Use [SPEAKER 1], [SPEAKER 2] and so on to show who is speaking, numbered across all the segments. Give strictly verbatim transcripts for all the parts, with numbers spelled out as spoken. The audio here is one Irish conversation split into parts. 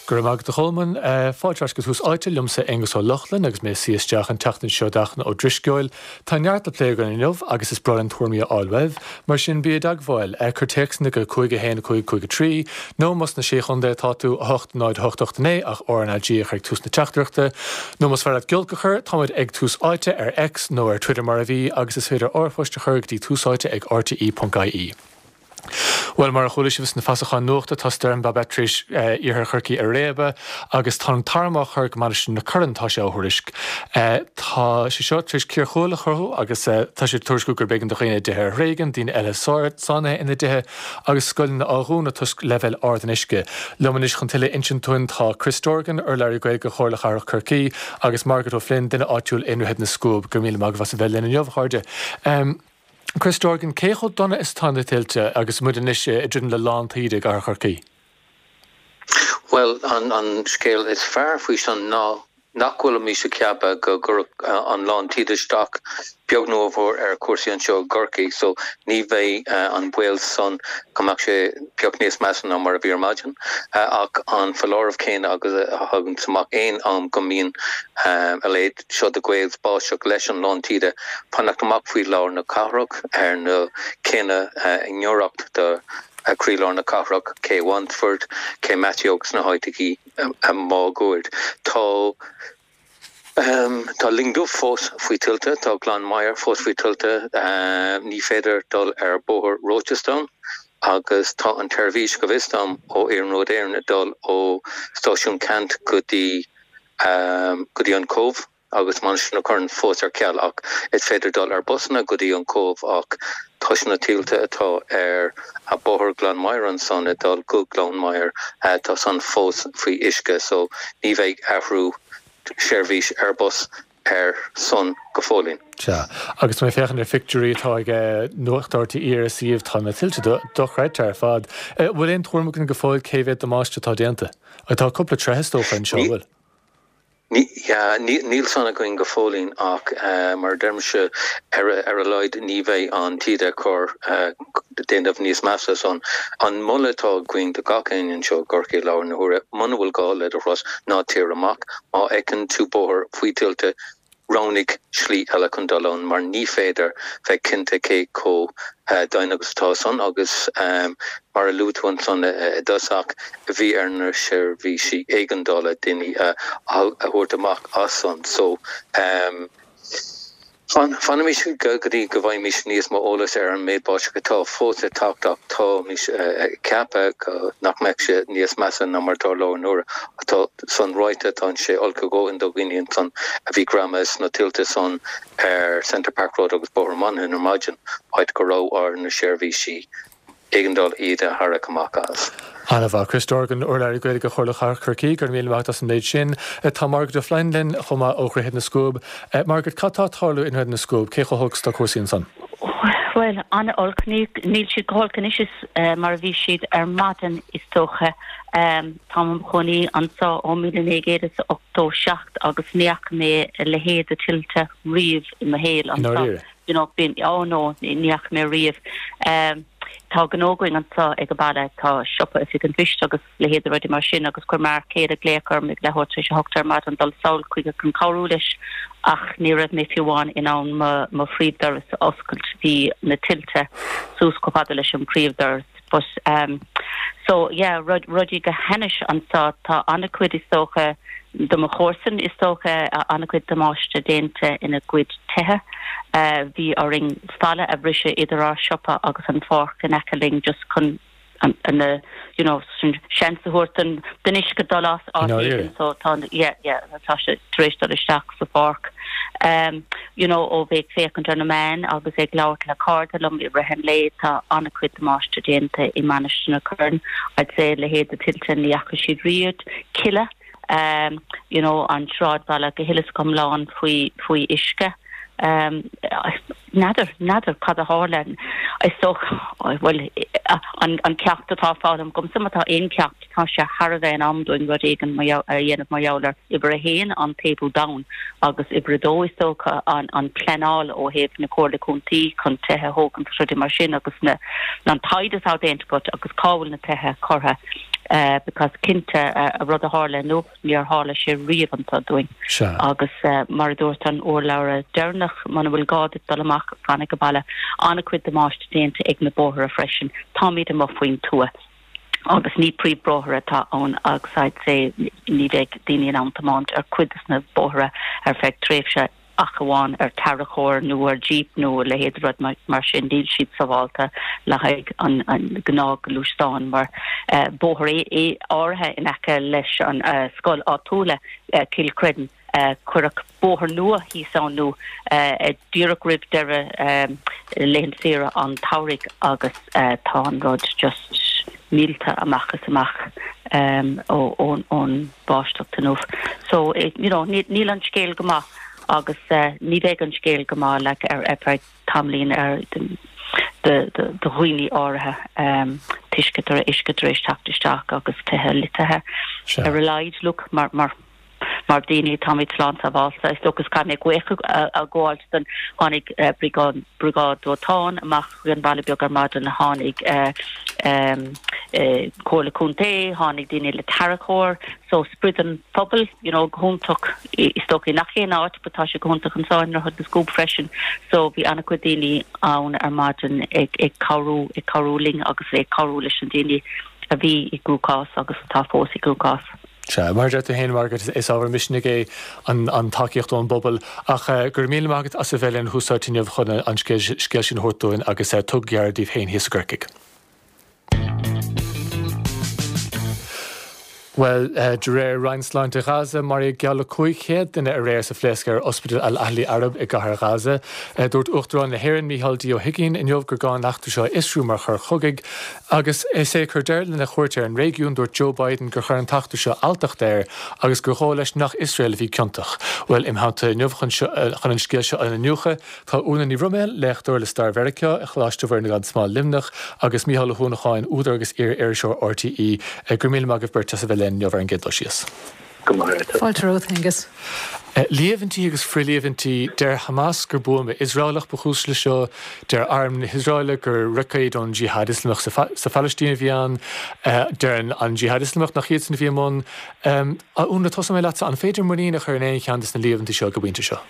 [SPEAKER 1] Go raibh maith agat a Cholmáin fáilte go Tús Áite liomsa Aengus Ó Lochlainn agus mé suí isteach an tseachtain seo d'Fhachtna Ó Drisceoil. Tá neart le plé againn inniu agus is breá linn tuairimí a fháil uaibh, mar sin bí i dteagmháil cuir téacsanna go cúig a haon cúig cúig a trí, nó más sna sé chontae atá tú a hocht náid hocht hocht naoi ach RnaG a chur ag tús na teachtaireachta, nó más fearr leat giolc a chur táimid ag Tús Áite ar X nó ar Twitter mar a bhí agus is féidir r-phost a chur go dtí túsáite ag rte.ie. Well mar a chuala sibh sna feasacháin nuachta tá Stoirm Babet tar éis iarthar Chorcaí a réabadh agus tá an t-arm á chur go Mainistir na Corann tá sé á thuairisc. Tá sé seo tar éis cíor chuaille a chruthú agus tá sé tuairisciú gur b'éigean do dhaoine tithe a thréigean, daoine eile sáinnithe ina dtithe agus scoileanna á dhúnadh toisc leibhéal ard an uisce. Liom anois chun tuilleadh a insint dúinn tá Chris Dorgan, urlabhraí Gaeilge Chomhairle Cathrach Chorcaí agus Margaret O'Flynn, duine áitiúil i nDroichead na Scuab go míle maith as a bheith linn inniu a chairde. Um, Chris Dorgan cé chomh dona is atá na tuilte agus muid anois ag druidim le lán taoide i gcathair Chorcaí.
[SPEAKER 2] Well an, an scéal is fearr faoi sin ná nach bhfuilimid ag ceapadh go gcuirfeadh an lán taoide isteach beag nó mhór ar chúrsaí anseo i gCorcaigh, so ní bheidh uh, an baol san go mbeadh sé pioc níos measa ná mar a bhí ar maidin. Uh, ach an foláireamh céanna agus a thagann amach aon am go mbíonn um, a leithéid seo de ghaoth báisteach leis an lán taoide fanacht amach faoi lár na cathrach ar na céanna uh, i ngiorracht do uh, croílár na cathrach Cé Wandford, Cé Matthew agus na háiteachaí máguaird. Tá Um, tá Lingdubh fós faoi tuilte, tá Gleann Maghair fós faoi tuilte, um, ní féidir dul ar bóthar Rochestown agus tá an tseirbhís go bhfios dom ó Iarnród Éireann dul ó stáisiún Ceannt go dtí um, go dtí an Cóbh agus Mainistir na Corann fós ar ceal ach is féidir dul ar busanna go dtí an Cóbh ach tá na tuilte atá ar a bóthar Gleann Maghair ansan ag dul go Gleann Maghair uh, tá san fós faoi uisce so ní bheidh athrú seirbhís ar bus ar son go fóillín.
[SPEAKER 1] Sea agus mé féachaint ar phictiúirí atá ag Nuacht RTÉ ar suíomh tá na tuilte dochreidte ar fad. Bhfuil aon tuairim againn go fóill cé mhéad damáiste atá déanta. Tá cúpla tithe is dócha anseo bhfuil.
[SPEAKER 2] Níl san againn go fóillín ach uh, mar deirimse ar ar a laghad ní bheidh an taoide chur uh, déanamh níos measa san an moladh atá againn do gach éinne anseo i gCorcaigh i láthair na huaire muna bhfuil gá le do thuras ná téir amach má fheiceann tú bóthar faoi tuilte roghnaigh slí eile chun dul ann mar ní féidir bheith cinnte cé chomh uh, domhain agus atá san agus um, mar a luaigh tú ansan uh, i dtosach bhí ar na seirbhísí éigeandála daoine uh, a thabhairt amach as san so um, Fanaimis go dtí go bhfaighimid níos mó eolas ar an méid báisteach atá fós ag teacht ach táimid ag ceapadh nach mbeidh sé níos measa ná mar atá i láthair na huaire atá san ráite tá sé olc go dona do dhaoine san a bhí greamaithe sna tuilte san ar Center Park Road agus Bóthar Monaghan ar maidin áit go raibh ar na seirbhísí éigeandála iad a tharrac amach as.
[SPEAKER 1] An-mhaith Chris Dorgan urlabhraí Gaeilge Chomhairle Cathrach Chorcaí gur míle maith as an méid sin tá Margaret O'Flynn linn chomh maith ó Dhroichead na Scuab. Margaret cad tá ag tarlú i nDroichead na Scuab cé chomh holc is atá cúrsaí ansan.
[SPEAKER 3] Well an-olc níl siad go holc anois is mar a bhí siad ar maidin is dócha um, Tá im chónaí anseo ó míle naoi gcéad is ochtó seacht agus ní fhaca mé a leithéid de tuilte riamh i mo shaol anseo. You know, bín oh no ní fhaca mé riamh. Um, tá gnó againn anseo ag an baile tá siopa oifig an phoist agus leithéid rudaí mar sin agus chuir m'fhear céile glaoch orm ag leathuair tar éis a hocht ar maidin dul sall chuige chun cabhrú leis ach ní raibh mé fiú amháin in ann mo phríomhdhoras a oscailt bhí na tuilte suas chomh fada leis an príomhdhoras but um so yeah rud rudaí go hainnis anseo tá an-chuid is dócha do mo chomharsain is dócha an-chuid damáiste déanta ina gcuid tithe. Uh, bhí orainn falla a bhriseadh idir ár siopa agus an pháirc in aice linn just chun an an you know seans a thabhairt den den uisce dul as so tá yeah yeah tá sé tar éis dul isteach sa pháirc. Um, you know ó bheith féachaint ar na meáin agus ag labhairt le cairde liom i rith an lae tá an-chuid damáiste déanta i Mainistir na Corann I'd say leithéid de tuilte ní fhaca siad riamh Killeagh um, you know an sráidbhaile go huile is go hiomlán faoi faoi uisce. Um, n'fheadar n'fheadar cad a tharla is so well an an ceacht atá foghlamtha agamsa má tá aon ceacht tá sé thar a bheith in am dúinn rud éigin a dhéanamh mar gheall ar uimhir a haon an taobhú domhain agus uimhir a dó is dócha an an pleanáil ó thaobh na comhairle contae chun tithe a thógáil rudaí mar sin agus na an taighde atá déanta agat agus cá bhfuil na tithe curtha Because cinnte an rud a tharla inniu níor tharla sé riamh anseo dúinn. Agus mar a dúirt an urlabhra deireanach muna bhfuil gá duit dul amach fan ag baile an-chuid damáiste déanta ag na bóithre freisin. Táimid amuigh faoin tuath agus ní príomhbhóithre atá ann agus I'd say ní bheidh daoine in ann tiomáint ar cuid de na bóithre ar feadh tréimhse ach amháin ar tarracóir nó ar jeep nó a leithéid rud mar sin níl siad sábháilte le haghaidh an an gnáthghluaisteán mar bóthar áirithe in aice leis an scoil áitiúil Cill Chreideann cuireadh bóthar nua thíos ann nó díreach roimh deireadh laethanta saoire an tsamhraidh agus tá an rud just millte amach is amach ón bháisteach inniu. So you know níl an scéal go maith agus ní bheidh an scéal go maith like ar ar feadh tamaillín ar do dhaoine áirithe toisc go raibh uisce tar éis teacht isteach agus tithe loitithe ar a laghad look mar mar mar daoine táimid slán sábháilte is dócha caithfidh mé buíochas a ghabháil don tháinig briogáid briogáid dóiteáin amach chuig an Bhaile Beag ar maidin tháinig Comhairle Contae tháinig daoine le tarracóir so sprid an phobail you know go hiontach is dócha nach aon áit but tá sé go hiontach anseo i nDroichead na Scuab freisin so bhí an-chuid daoine ann ar maidin ag ag cabhrú ag cabhrú linn agus ag cabhrú leis an daoine a bhí i gcruachás agus atá fós i gcruachás.
[SPEAKER 1] Sea, mar a deir tú féin, Margaret, is ábhar misnigh é an an tacaíocht ón bpobal ach go raibh míle maith agat as a bheith linn Tús Áite inniu chun an scéal sin a thabhairt dúinn agus tugaigí aire daoibh féin thíos i gCorcaigh. Bhuel, de réir Roinn Sláinte Ghaza, maraíodh geall le cúig chéad duine aréir sa phléasc ar Ospidéal Al-Ahli Arab i gcathair Ghaza. Dúirt Uachtarán na hÉireann, Micheál D. Ó hUigínn, inniu gur gá an eachtra seo a fhiosrú mar choir chogaidh. Agus é ag cur deireadh lena chuairt ar an réigiún, dúirt Joe Biden gur chuir an t-eachtra seo alltacht air agus gur dhóigh leis nach Iosrael a bhí ciontach. Bhuel, im theannta inniu chun an scéal seo a iniúchadh, tá Úna Ní Bhroiméil, léachtóir le Stair Mheiriceá i Choláiste Mhuire gan Smál, Luimneach, agus Mícheál Ó hUanacháin, údar agus iar-iriseoir RTÉ. Go raibh míle maith agaibh beirt as a bheith linn inniu ar an gcéad dul síos.
[SPEAKER 2] Go maith agat.
[SPEAKER 4] Fáilte romhat, Aengus.
[SPEAKER 1] Líomhaintí agus frithliomhaintí, deir Hamas gur buama Iosraelach ba chúis leis seo, deir arm na hIosraeile gur roicéad ón Jihad Ioslamach sa Phalaistín a bhí ann, deir an Jihad Ioslamach nach iadsan a bhí i mbun. A Úna, tosóidh mé leatsa, an féidir muinín a chur in aon cheann de na líomhaintí seo ag an bpointe seo?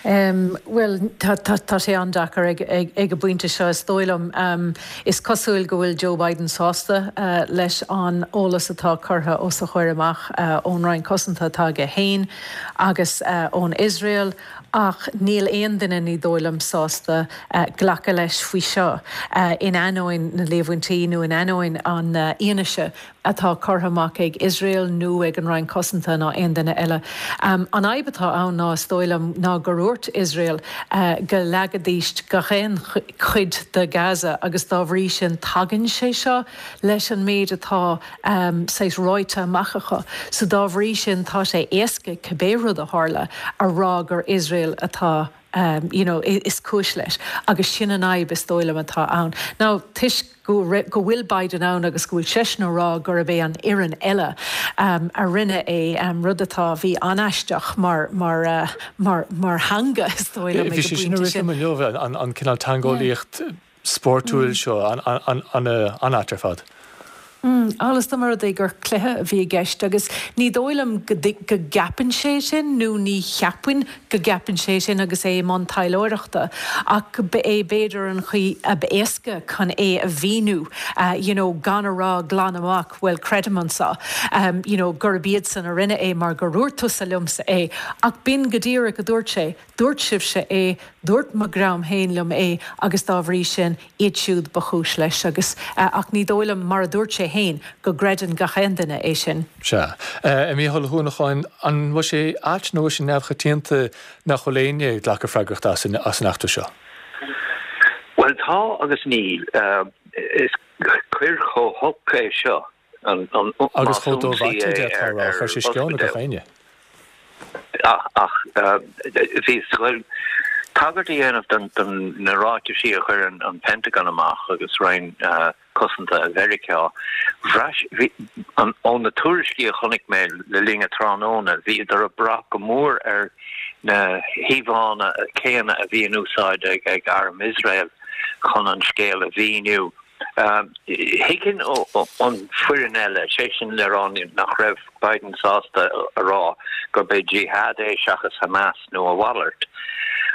[SPEAKER 4] Bhuel, tá sé an-deacair ag an bpointe seo, is dóigh liom. Is cosúil go bhfuil Joe Biden sásta leis an eolas atá curtha os a chomhair amach ón Roinn Cosanta atá aige féin agus ón Iosrael, ach níl aon duine, ní dóigh liom, sásta glacadh leis faoi seo, in ainneoin na líomhaintí nó in ainneoin an fhianaise atá curtha amach ag Iosrael nó ag an Roinn Cosanta ná aon duine eile. An fhadhb atá ann ná, is dóigh liom, ná gur dhúirt Iosrael go leagfaidís gach aon chuid de Gaza agus dá bhrí sin tagann sé seo leis an méid atá saghas ráite amach acu. So dá bhrí sin tá sé éasca cibé rud a tharla a rá gur Iosrael atá you know, is cúis leis. Agus sin an fhadhb is dóigh liom atá ann. Now, toisc go go bhfuil Biden ann agus go bhfuil seisean ag rá gurb é an fhoireann eile a rinne é, rud atá, bhí an-aisteach mar, mar, mar, mar theanga is dóigh liom ag an
[SPEAKER 1] Bhí sé sin
[SPEAKER 4] bpointe
[SPEAKER 1] ag rith
[SPEAKER 4] sin.
[SPEAKER 1] liom inniu, an, an cineál teangeolaíocht spórtúil seo, an-ait ar fad.
[SPEAKER 4] Amhail is dá mba rud é gur cluiche a bhí i gceist agus ní dóigh liom go gceapann sé sin nó ní cheapfainn go gceapann sé sin agus é i mbun taidhleoireachta ach ba é b'fhéidir an chaoi ab éasca chun é a mhíniú you know gan a rá glan amach bhuel creidim anseo you know gurb iadsan a rinne é mar gur dhúirt tusa liomsa é ach b'in go díreach a dúirt sé. Dúirt sibhse é, dúirt mo dhream féin liom é agus dá bhrí sin, iad siúd ba chúis leis agus, ach ní dóigh liom, mar a dúirt sé féin, go gcreideann gach aon duine é sin.
[SPEAKER 1] Sea. A Mhícheáil Uí Huanacháin, an bhfuil sé ait nó bhfuil sé neamhchoitianta nach bhfuil éinne ag glacadh freagrachta as an eachtra seo?
[SPEAKER 2] Bhuel, tá agus níl. Is coir chomh holc é seo, an, an,
[SPEAKER 1] Agus
[SPEAKER 2] más
[SPEAKER 1] chomh
[SPEAKER 2] ionsaí
[SPEAKER 1] dómhaite,
[SPEAKER 2] é
[SPEAKER 1] d'fhéadfá a
[SPEAKER 2] ar,
[SPEAKER 1] rá,
[SPEAKER 2] ar
[SPEAKER 1] chuir sé sceon ar gach
[SPEAKER 2] ospidéal.
[SPEAKER 1] éinne.
[SPEAKER 2] Ach bhíos ag goil tagairt a dhéanamh don na ráitisí a chuir an Pentagon amach agus Roinn Cosanta Mheiriceá. Bhraith, ó na tuairiscí a chonaic mé le linn an tráthnóna, bhíodar ag brath go mór ar na híomhánna céanna a bhí in úsáid ag Arm Iosrael chun an scéal a mhíniú. Thuigfinn an foireann eile, sé sin le rá nach raibh Biden sásta a rá gurb é jihad é seachas Hamas nó a mhalairt.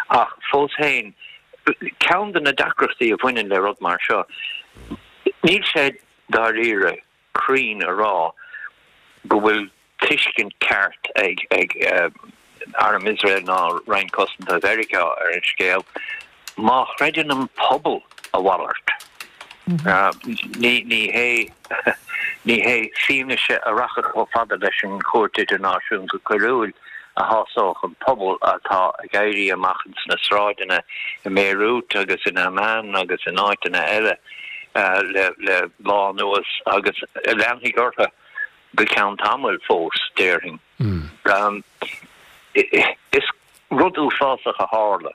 [SPEAKER 2] Ach fós féin, ceann de na deacrachtaí a bhaineann le rud mar seo, níl sé dáiríre cruinn a rá go bhfuil tuiscint ceart ag ag Arm Iosrael ná Roinn Cosanta Mheiriceá ar an scéal má chreideann an pobal a mhalairt. Ní ní hé ní hé fianaise a rachadh chomh fada leis an Chúirt Idirnáisiúnta Coiriúil a shásódh an pobal atá ag éirí amach ins na sráideanna i mBeirut agus in Amman agus in áiteanna eile le le lá anuas agus a leanfaidh orthu go ceann tamaill fós, déarfainn. Is rud uafásach a tharla.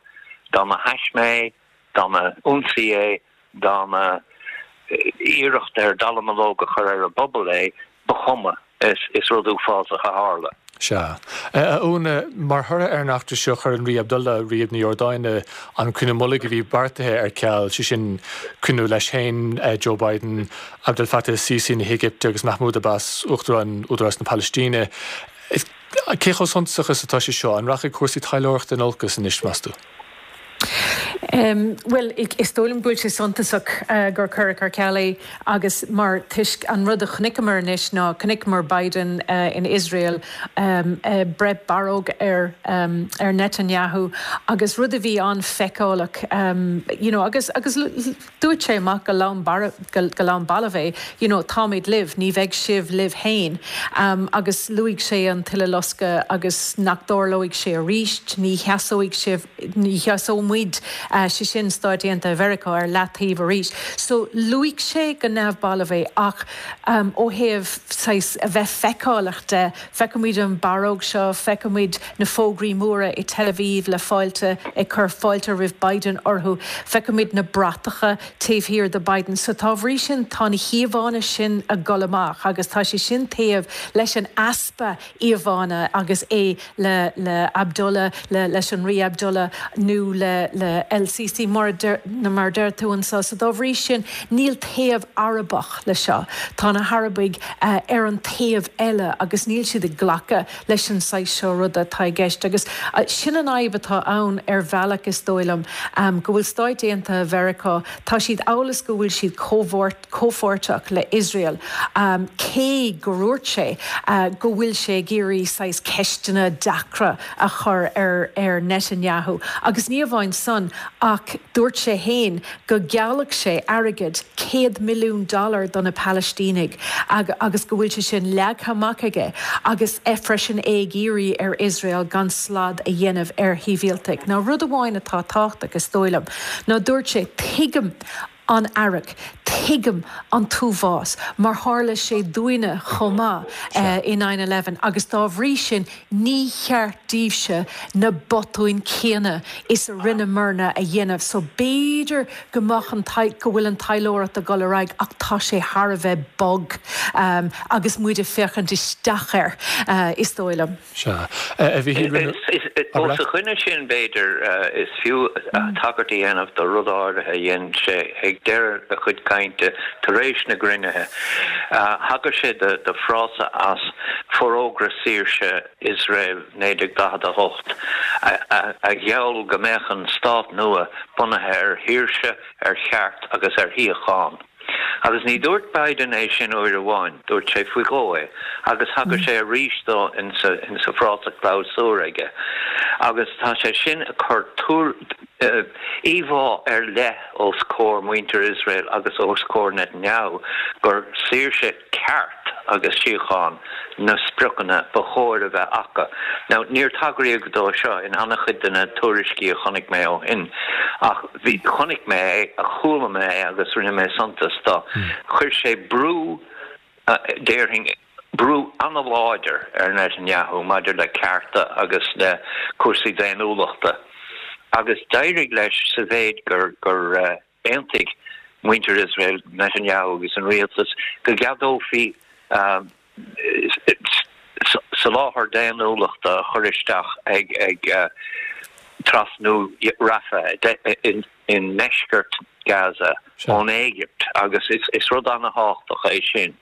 [SPEAKER 2] Dá mba thaisme é, dá mba ionsaí é, dá mba iarracht ar dallamullóg a chur ar an bpobal é, ba chuma, is rud uafásach a tharla.
[SPEAKER 1] Sea. A Úna, mar thoradh ar an eachtra seo, chuir an Rí Abdullah, Rí na Iordáine, an cruinniú mullaigh a bhí beartaithe ar ceal, sé sin cruinniú leis féin, Joe Biden, Abdel Fattah Sisi na hÉigipte agus Mahmoud Abbas, Uachtarán Údarás na Palaistíne. Cé chomh suntasach is atá sé seo? An rachaidh cúrsaí taidhleoireachta in olcas anois, meas tú?
[SPEAKER 4] Bhuel, is dóigh liom go bhfuil sé suntasach gur cuireadh ar ceal é agus mar toisc an rud a chonaiceamar anois ná chonaiceamar Biden in Iosrael ag breith barróg ar ar Netanyahu agus rud a bhí an-fheiceálach you know agus agus dúirt sé amach go lom go lom balbh é you know táimid libh, ní bheidh sibh libh féin agus luaigh sé an tUileloscadh agus nach dtarlóidh sé arís, ní sheasóidh sibh, ní sheasóidh muid, sé sin Stáit Aontaithe Mheiriceá, ar leataobh arís. So luaigh sé go neamhbalbh é ach ó thaobh saghas a bheith feiceálach de, feicimid an barróg seo, feicimid na fógraí móra i Tel Aviv le fáilte, ag cur fáilte roimh Biden orthu, feicimid na bratacha taobh thiar de Biden. So dá bhrí sin tá na híomhánna sin ag dul amach agus tá sé sin taobh leis an easpa íomhánna agus é le le Abdullah, le leis an Rí Abdullah nó le le El Sisi mar a deir mar a deir tú anseo. So dá bhrí sin níl taobh Arabach le seo. Tá na hArabaigh ar an taobh eile agus níl siad ag glacadh leis an saghas seo ruda atá i gceist. Agus sin an fhadhb atá ann ar bhealach is dóigh liom, go bhfuil Stáit Aontaithe Mheiriceá, tá siad amhail is go bhfuil siad comhpháirteach le Iosrael, cé go ndúirt sé go bhfuil sé ag iarraidh saghas ceisteanna deacra a chur ar ar Netanyahu. Agus ní amháin san ach dúirt sé fhéin go ngeallfadh sé airgead céad milliún dollar do na Palaistínigh agus go bhfuil sé sin leagtha amach aige agus é freisin é ag iarraidh ar Iosrael gan slad a dhéanamh ar shibhialtaigh. Now rud amháin atá tábhachtach is dóigh liom ná dúirt sé tuigim an fhearg, tuigim an t-uafás mar tharla sé dúinne chomh maith i nine eleven agus dá bhrí sin ní cheart daoibhse na botúin céanna is a rinneamarna a dhéanamh. So b'fhéidir go mbeadh an go bhfuil an taidhleoireacht ag dul ar aghaidh ach tá sé thar a bheith bog agus muid ag féachaint isteach air is dóigh liom.
[SPEAKER 1] Sea. A Mhichíl, rinne.
[SPEAKER 2] Os a choinne sin, b'fhéidir, is fiú tagairt a dhéanamh do rud áirithe a dhein sé ag deireadh a chuid cainte tar éis na gcruinnithe. Thagair sé do frása as Forógra Saoirse Iosrael naoi déag daichead a hocht a gheall go mbeadh an stát nua bunaithe ar shaoirse, ar cheart agus ar shíocháin. Agus ní dúirt Biden é sin uair amháin, dúirt sé faoi dhó é, agus thagair sé arís dó insa frása clabhsúir aige. Agus tá sé sin ag cur íomhá ar leith os comhair muintir Iosrael agus os comhair Netanyahu gur saoirse, ceart agus síocháin na spriocanna ba chóir a bheith acu. Now, níor tagraíodh dó seo in an-chuid de na tuairiscí a chonaic mé ó shin, ach bhí, chonaic mé é, chuala mé é agus rinne mé suntas dó. Chuir sé brú, déarfainn, brú an-láidir ar Netanyahu maidir le cearta agus le cúrsaí daonnúlachta agus d'éirigh leis sa mhéid gur, gur aontaigh muintir Iosrael, Netanyahu agus an rialtas go gceadófaí soláthar daonnúlachta a chur isteach ag trasnú Rafah i ndeisceart
[SPEAKER 5] Gaza ón Éigipt agus is, is rud an-tábhachtach é sin.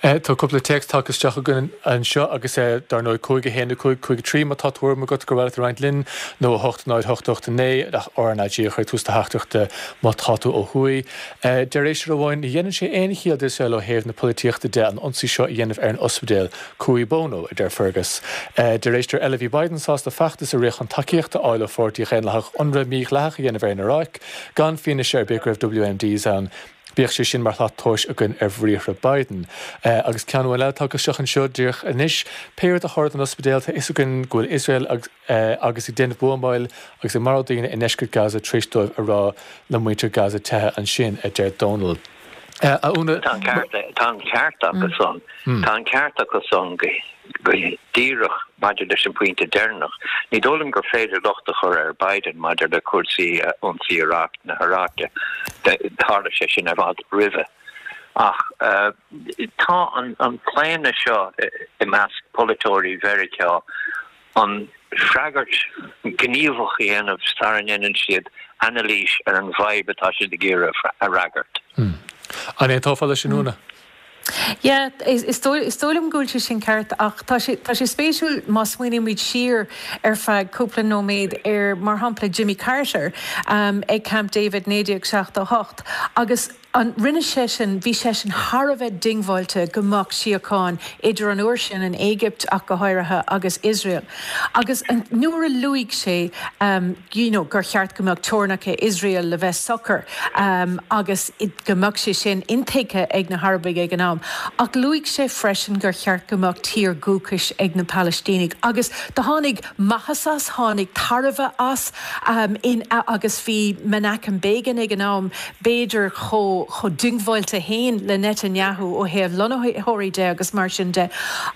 [SPEAKER 1] Tá cúpla téacs tagtha isteach againn anseo agus dar ndóigh cúig a haon a cúig cúig a trí má tá tuairim agat gur mhaith leat a roinnt linn nó a hocht náid hocht hocht a naoi ach R N A G a chur ag tús do theachtaireachta má tá tú ó thuaidh. Deir éisteoir amháin, ní dhéanann sé aon chiall d'Iosrael ó thaobh na polaitíochta de an ionsaí seo a dhéanamh ar an ospidéal. Cui bono, a deir Fergus. Deir éisteoir eile, bhí Biden sásta feachtas a rith chun tacaíocht a fháil ó pháirtí Dhaonlathach ionradh mídhleathach a dhéanamh ar an Iaráic gan fianaise ar bith go raibh W M Ds ann. Bíodh sé sin mar shlat tomhais againn ar bhriathra Biden. Agus ceann amháin eile tagtha isteach anseo díreach anois, pé rud a tharla don ospidéal, tá fhios againn go bhfuil Iosrael agus ag déanamh buamáil agus ag marú daoine i ndeisceart Gaza tar éis dóibh a rá le muintir Gaza teitheadh ansin, a deir Dónal. A Úna.
[SPEAKER 5] Tá an ceart, tá an ceart acu san. Tá an ceart acu san go go díreach maidir leis an bpointe deireanach. Ní dóigh liom gur féidir locht a chur ar Biden maidir le cúrsaí ionsaí Iraq na hIaráice. Tharla sé sin i bhfad roimhe. Ach tá an an claonadh seo i measc polaiteoirí Mheiriceá an freagairt gníomhach a dhéanamh sara ndéanann siad anailís ar an bhfadhb atá siad ag iarraidh a fhreagairt.
[SPEAKER 1] An aontófá leis sin, Úna?
[SPEAKER 4] Yeah, is is dóigh liom go bhfuil sé sin ceart ach tá sé tá sé spéisiúil má smaoinímid siar ar feadh cúpla nóiméad ar mar shampla Jimmy Carter um, ag Camp David naoi déag seachtó hocht agus an rinne sé sin bhí sé sin thar a bheith diongbháilte go mbeadh síocháin idir an uair sin an Éigipt ach go háirithe agus Israel. Agus an nuair a luaigh sé um, you know, gur cheart go mbeadh teorainneacha Israel le bheith socair um, agus go mbeadh sé sin intuigthe ag na hArabaigh ag an am. Ach luaigh sé freisin gur cheart go mbeadh tír dúchais ag na Palaistínigh. Agus do tháinig maitheas as tháinig tairbhe as um, in, agus bhí Menachem Begin ag an am b'fhéidir chomh chomh diongbháilte féin le Netanyahu ó thaobh lonnaitheoirí de agus mar sin de.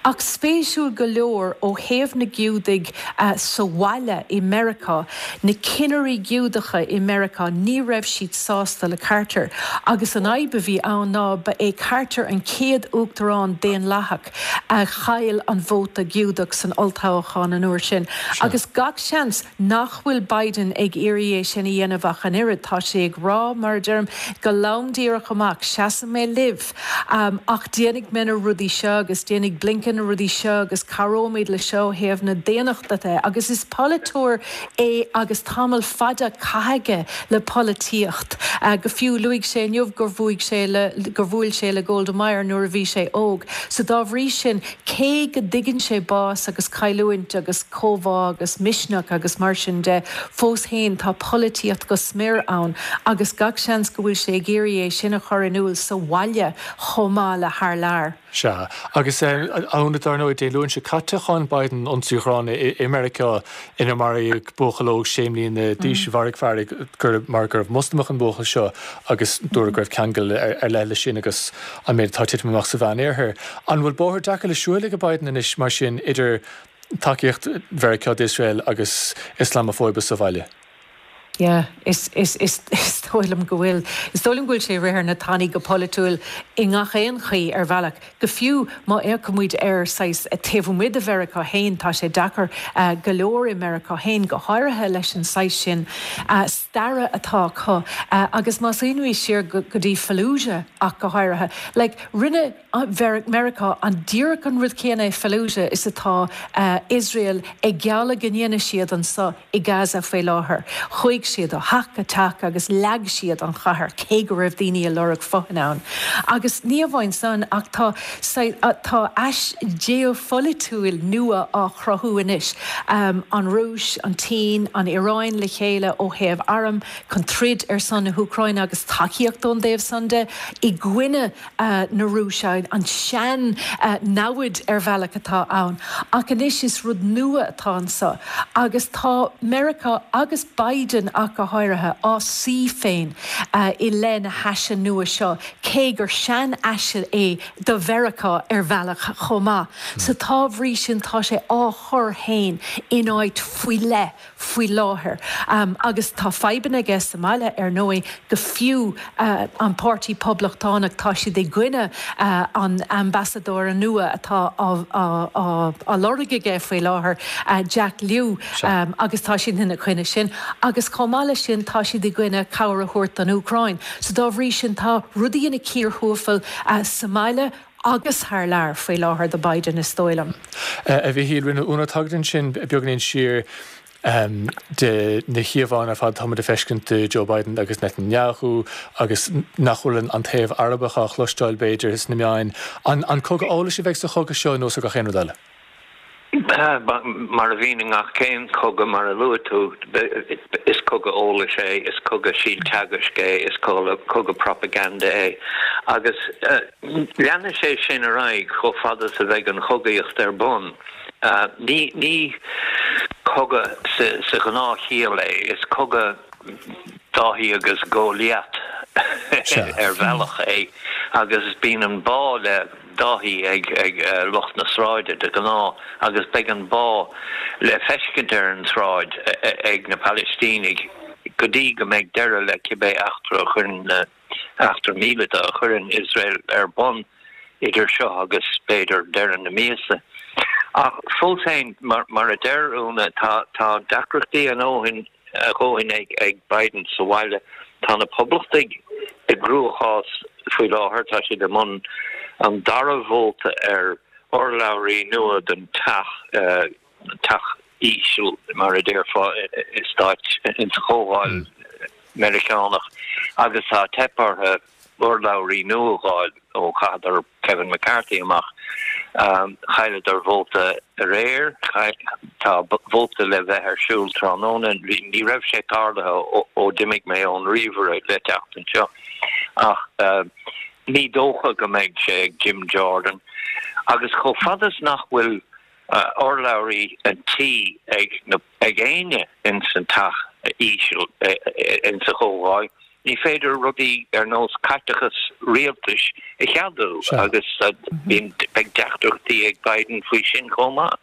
[SPEAKER 4] Ach spéisiúil go leor ó thaobh na Giúdaigh uh, sa bhaile i Meiriceá, na cinnirí Giúdacha i Meiriceá ní raibh siad sásta le Carter, agus an fhadhb a bhí ann ná ba é Carter an chéad uachtarán daonlathach a chaill an vóta Giúdach san olltoghchán an uair sin. Agus gach seans nach bhfuil Biden ag iarraidh é sin a dhéanamh ach an oiread tá sé ag rá mar deirim go lom díreach amach seasfaidh mé libh um, ach déanfaidh mé na rudaí seo agus déanfaidh Blinken na rudaí seo agus cabhróimid le seo ó thaobh na daonnachta de agus is polaiteoir é agus tamall fada caite aige le polaitíocht. Uh, go fiú luaigh sé inniu gur bhuaigh sé le gur bhuail sé le Golda Meir nuair a bhí sé óg. So dá bhrí sin cé go dtuigeann sé bás agus cailliúint agus comhbhá agus misneach agus mar sin de fós féin tá polaitíocht go smior ann agus gach seans go bhfuil sé ag iarraidh é sin a chur in iúl sa bhaile chomh maith le thar lear.
[SPEAKER 1] Sea, agus ann dar ndóigh Dé Luain seo caite cháin Biden ionsaí dróin i Meiriceá inar maraíodh buachaill óg sé mbliana d'aois mharaigh fear gur mar gurbh Moslamach an buachaill seo agus dúradh go raibh ceangal ar leith leis sin agus an méid atá ag titim amach sa Mheánoirthear. An bhfuil bóthar deacair le siúl ag Biden anois mar sin idir tacaíocht Mheiriceá d'Iosrael agus Ioslamafóibe sa bhaile?
[SPEAKER 4] Yeah, is is is is dóigh liom go bhfuil is dóigh liom go bhfuil sé ag rith ar na tanaí go polaitiúil i ngach aon chaoi ar bhealach. Go fiú má fhéachaimid ar saghas taobh amuigh de Mheiriceá féin tá sé deacair uh, go leor i Meiriceá féin go háirithe leis an saghas sin uh, staire atá acu uh, agus más smaoiníonn siar go, go dtí Fallujah ach go háirithe. Like, rinne Meiriceá an díreach an rud céanna i Fallujah is atá uh, Israel ag gealladh go ndéanfaidh siad anseo i Gaza faoi láthair. Chuaigh siad ó theach go teach agus leag siad an chathair cé go raibh daoine ag lorg fothain ann. Agus ní amháin san ach tá tá ais geopholaitiúil nua á chruthú anois. Um, an Rúis, an tSín, an Iaráin le chéile ó thaobh arm chun troid ar son na hÚcráine agus tacaíocht ón dtaobh san de i gcoinne uh, na Rúise an sean uh, namhaid ar bhealach atá ann. Ach anois is rud nua atá anseo. Agus tá Meiriceá agus Biden ach go háirithe á suí féin uh, i leith na haise nua seo, cé gur sean aise é do Mheiriceá ar bhealach chomh maith. Mm. So dá bhrí sin tá sé á chur féin in áit faoi leith faoi láthair. Agus tá fadhbanna aige sa mbaile, ar ndóigh, go fiú an Páirtí Poblachtánach, tá siad i gcoinne an ambasadóra nua atá á lorg aige faoi láthair, Jack Lew, agus tá siad ina choinne sin. Agus chomh maith leis sin, tá siad i gcoinne cabhair a thabhairt don Úcráin. So dá bhrí sin, tá rudaí ina cíor thuathail sa mbaile agus thar lear faoi láthair do Biden, is dóigh liom.
[SPEAKER 1] A Mhichíl, rinne Úna tagairt ansin beagáinín siar de na híomhánna ar fad atáimid ag feiscint de Joe Biden agus Netanyahu agus nach bhfuil an taobh Arabach á chloisteáil b'fhéidir sna meáin. An cogadh eolais a bheidh sa chogadh seo nó sa gach aon rud eile?
[SPEAKER 5] Mar a bhíonn i ngach aon chogadh, mar a luaigh tú, is cogadh eolais é, is cogadh síolteagaisc é, is cogadh propaganda é. Agus leanfaidh sé sin ar aghaidh chomh fada is a bheidh an chogaíocht ar bun. Ní cogadh sa ghnáthchiall é, is cogadh Dáithí agus Góiliat ar bhealach é agus bíonn an bá le Dáithí ag lucht na sráide de ghnáth agus beidh an bá le feiscint ar an tsráid ag na Palaistínigh go dtí go mbeidh deireadh le cibé eachtra a chuireann na eachtra míleata a chuireann Iosrael ar bun idir seo agus b'fhéidir deireadh na míosa. Ach fós féin, mar a deir Úna, tá deacrachtaí a ndóthain a dhóthain ag Biden sa bhaile. Tá na Poblachtaigh i gcruachás faoi láthair, tá siad i mbun an dara vóta ar urlabhraí nua don Teach, Teach Íseal mar a déarfá i Stáit, insa Chomhdháil Meiriceánach, agus tá teip orthu urlabhraí nua a fháil ó chaitheadar Kevin McCarthy amach. Chailleadar vóta aréir, tá vóta le bheith ar siúl tráthnóna. Ní raibh sé tarlaithe ó d'imigh mé ón ríomhaire le teacht anseo ach ní dócha go mbeidh sé ag Jim Jordan. Agus chomh fada is nach bhfuil urlabhraí an tí ag na ag éinne ins an teach íseal ins an Chomhdháil, Ní féidir rudaí ar nós caiteachas rialtais a cheadú agus beidh deacrachtaí ag Biden faoi sin chomh maith.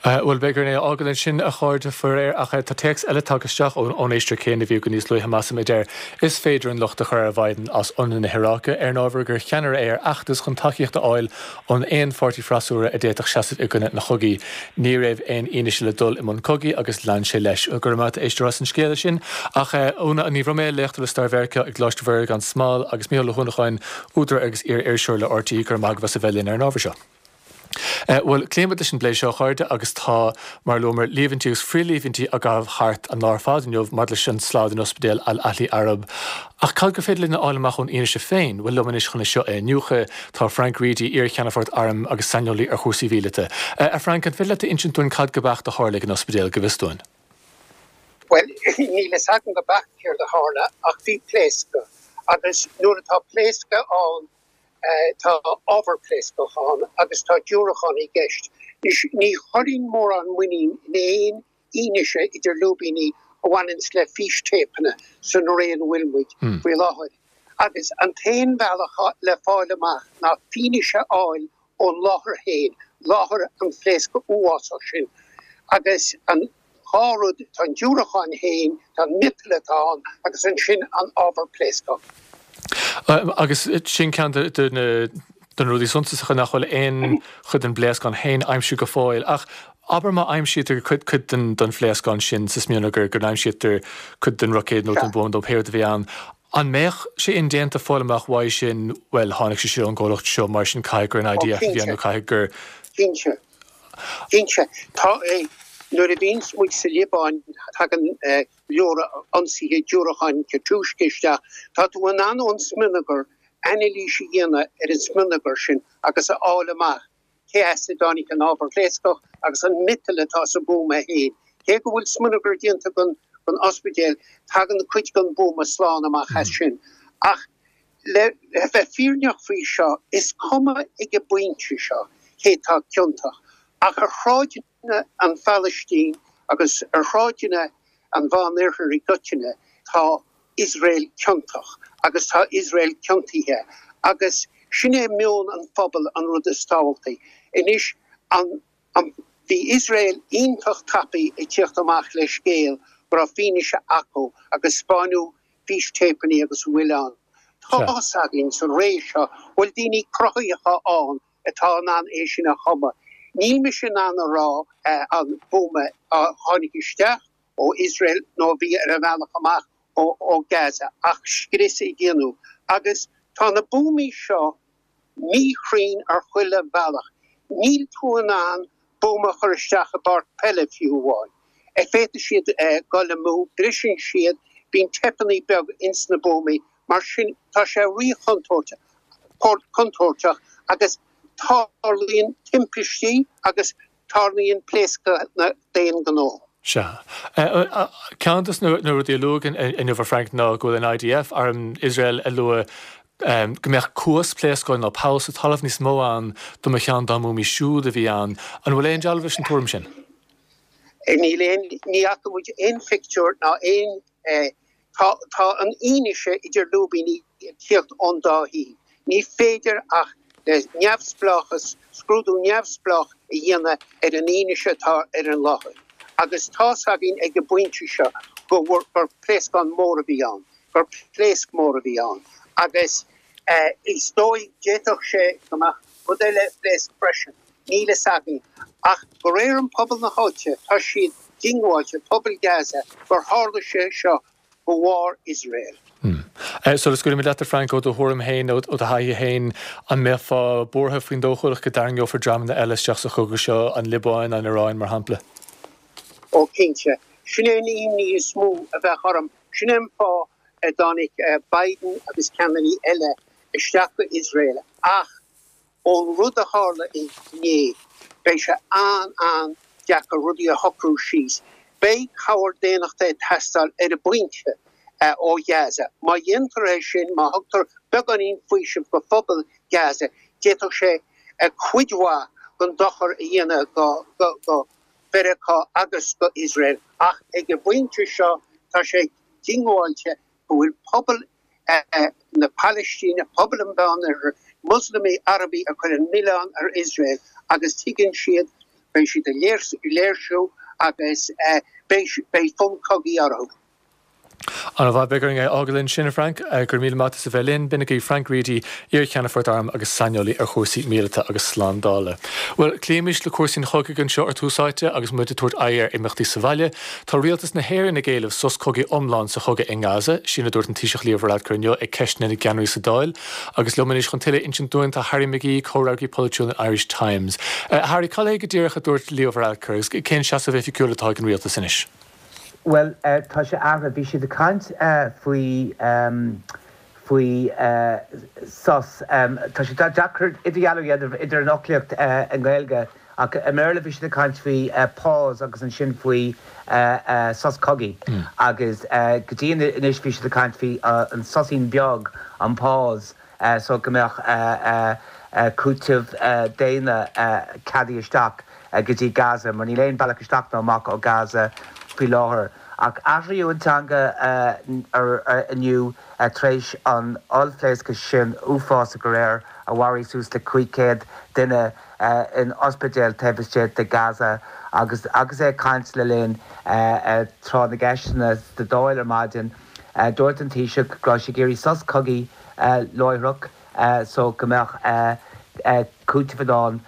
[SPEAKER 1] Bhuel, beidh orainn é a fhágáil ansin, a chairde, faraor, ach tá téacs eile tagtha isteach ón éisteoir céanna a bhí againn níos luaithe, measaim, a deir, Is féidir an locht a chur ar Bhiden as ionradh na hIaráice, ar an ábhar gur cheannaire é ar fheachtas chun tacaíocht a fháil ón aon pháirtí freasúra a d'fhéadfadh seasamh i gcoinne an chogaidh. Ní raibh aon fhianaise le dul i mbun cogaidh agus lean sé leis. Go raibh maith agat, a éisteoir, as an scéala sin. Ach Úna Ní Bhroiméil, léachtóir le Stair Mheiriceá i gColáiste Mhuire gan Smál, agus Mícheál Ó hUanacháin, údar agus iar-iriseoir le RTÉ, go raibh maith agaibh as a bheith linn ar an ábhar seo. Bhuel, cloímid leis an bplé seo, a chairde, agus tá, mar a luamar, líomhaintí agus frith-líomhaintí á gcaitheamh thart an lá ar fad inniu maidir leis an slad in ospidéal Al-Ahli Arab. Ach cad gur féidir linn a fháil amach ón fhianaise féin? Bhuel, liom anois chun é seo a iniúchadh, tá Frank Reidy, iar-cheannfort airm agus saineolaí ar chúrsaí mhíleata. A Frank, an féidir leat a insint dúinn cad go beacht a tharla ag an ospidéal, go bhfios dúinn?
[SPEAKER 6] Bhuel, níl a fhios agam go beacht céard a tharla, ach bhí pléascadh. Agus nuair atá pléascadh ann, tá ábhar pléascach ann agus tá diúracán i gceist. Anois, ní chuirfinn mórán muinín in aon fhianaise idir lúibíní a bhaineanns le fístéipeanna san ré ina bhfuil muid faoi láthair. Agus an t-aon bhealach le fáil amach ná fianaise a fháil ón láthair féin, láthair an phléasctha uafásach sin. Agus an dhá rud, tá an diúracán féin, tá an miotal atá ann agus ansin an ábhar pléascach.
[SPEAKER 1] Agus sin ceann de na de na rudaí suntasacha nach bhfuil aon chuid den bpléascán féin aimsithe go fóill. Ach abair má aimsítear cuid cuid den den phléascán sin sa smionagar, go n-aimsítear cuid den roicéad nó den bhuama nó pé rud a bhí ann, an mbeadh sé indéanta fáil amach uaidh sin, bhuel, tháinig sé sin ón gcomhlacht seo, mar sin caithfidh gur an IDF a bhí ann nó caithfidh gur.
[SPEAKER 6] Cinnte. Cinnte. Tá, nuair a bhíonns muid sa Liobáin, tagann leor ionsaithe diúracáin Katyusha isteach. Tá tú in ann ón smionagar anailís a dhéanamh ar an smionagar sin agus a fháil amach cé as a dtáinig an ábhar pléascach agus an miotal atá sa bhuama féin. Cé go bhfuil smionagar déanta den ospidéal, tagann cuid den bhuama slán amach as sin. Ach le bheith fírinneach faoi seo, is cuma ag an bpointe seo cé atá ciontach, ach ar shráideanna an Phalaistín agus ar shráideanna an Mheánoirthir i gcoitinne, tá Iosrael ciontach agus tá Iosrael ciontaithe agus sin é meon an phobail, an rud is tábhachtaí. Anois, an Bhí Iosrael iontach tapaidh ag tíocht amach le scéal go raibh fianaise acu agus 'spáineadh fístéipeanna agus a bhfuil ann. Tá's againn sa ré seo bhfuil daoine cruthaitheacha ann atá in ann é sin a chumadh. Níl mise in ann a rá an buama a tháinig isteach ó Iosrael nó a bhí ar a bhealach amach ó Gaza ach scrios a dhéanamh. Agus tá na buamaí seo míchruinn ar chuile bhealach. Níl tú in ann buama a chur isteach i bpáirc peile fiú amháin. Féadfaidh siad dul amú, briseann siad, bíonn teipeanna beaga ins na buamaí, mar sin tá sé rí-chontúirteach agus tarlaíonn timpistí agus tarlaíonn pléascanna d'aon ghnó.
[SPEAKER 1] Sea. Ceann de na rudaí a luadh inniu, a Frank, ná go bhfuil an IDF, arm Iosrael, ag lua go mbeadh cuas pléascáin nó poll sa talamh níos mó ann dá mba cheann dá mbuamaí siúd a bhí ann. An bhfuil aon dealramh leis an tuairim sin?
[SPEAKER 6] Níl aon, ní fhaca muid aon phictiúr ná aon, tá, tá an fhianaise idir lúibíní ag tíocht ón dá thaobh. Ní féidir ach le neamhspleáchas, scrúdú neamhspleách a dhéanamh ar an fhianaise atá ar an láthair. Agus tá's againn ag an bpointe seo go bhfuair, gur pléascán mór a bhí ann, gur pléasc mór a bhí ann. Agus is dóigh, d'fhéadfadh sé go mbeadh rud eile a phléasc freisin, níl fhios againn. Ach de réir an pobal na háite, tá siad diongbháilte, pobal Gaza, gur tharla sé seo de bharr Iosrael.
[SPEAKER 1] Sula scaoilimid leat, a Frank, ó do thuairim féin, ó do thaithí féin, an mbeifeá buartha faoin dóchúlacht go dtarraingeofar dreamanna eile isteach sa chogadh seo, an Liobáin, an Iaráin, mar shampla?
[SPEAKER 6] Ó cinnte. Sin é an imní is mó a bheadh orm. Sin é an fáth a dtáinig Biden agus ceannairí eile isteach go Iosrael ach ón rud a tharla inné, beidh sé an-an-deacair rudaí a shocrú síos. Beidh cabhair daonnachta ag teastáil ar an bpointe ó Ghaza. Má dhéantar é sin, má thugtar beagáinín faoisimh go phobal Gaza, d'fhéadfadh sé cuid mhaith den dochar a dhéanamh go Mheiriceá agus go Iosrael. Ach ag an bpointe seo, tá sé diongbháilte go bhfuil pobal na Palaistíne, pobal an Mheánoirthir, Moslamaigh, Arabaigh ag cur an milleán ar Iosrael agus tuigeann siad, beidh siad ag léirsiú agus beidh fonn cogaidh orthu.
[SPEAKER 1] An-mhaith, beidh orainn é a fhágáil ansin, a Frank. Go raibh míle maith as a bheith linn. B'in agaibh Frank Reidy, iar-cheannfort airm agus saineolaí ar chúrsaí míleata agus slándála. Bhuel, cloímis le cúrsaí an chogaidh anseo ar Tús Áite agus muid ag tabhairt aghaidh ar imeachtaí sa bhaile. Tá rialtas na hÉireann ag éileamh sos cogaidh iomlán sa chogadh i nGaza, sin a dúirt an Taoiseach Leo Varadkar inniu ag ceisteanna na gceannairí sa Dáil. Agus liom anois chun tuilleadh a insint dúinn tá Harry McGee, comhfhreagraí polaitiúil an Irish Times. Harry, cad é go díreach a dúirt Leo Varadkar agus cén seasamh oifigiúil atá ag an rialtas anois?
[SPEAKER 7] Bhuel, tá sé athraithe. Bhí siad ag caint faoi, faoi sos. Tá sé deacair idirdhealú a dhéanamh idir an fhoclaíocht i nGaeilge ach i mBéarla bhí siad ag caint faoi pause agus ansin faoi sos cogaidh agus go dtí anois bhí siad ag caint faoi an soisín beag, an pause, so go mbeadh cúiteamh daonna ceadaithe isteach go dtí Gaza mar níl aon bhealach isteach ná amach ó Gaza faoi láthair. Ach athraíodh an teanga inniu tar éis an ollphléasctha sin uafásach aréir a mharaigh suas le cúig chéad duine in ospidéal taobh istigh de Gaza agus agus é ag caint le linn tráth na gceisteanna sa Dáil ar maidin dúirt an Taoiseach go raibh sé ag iarraidh sos cogaidh láithreach so go mbeadh cúiteamh in ann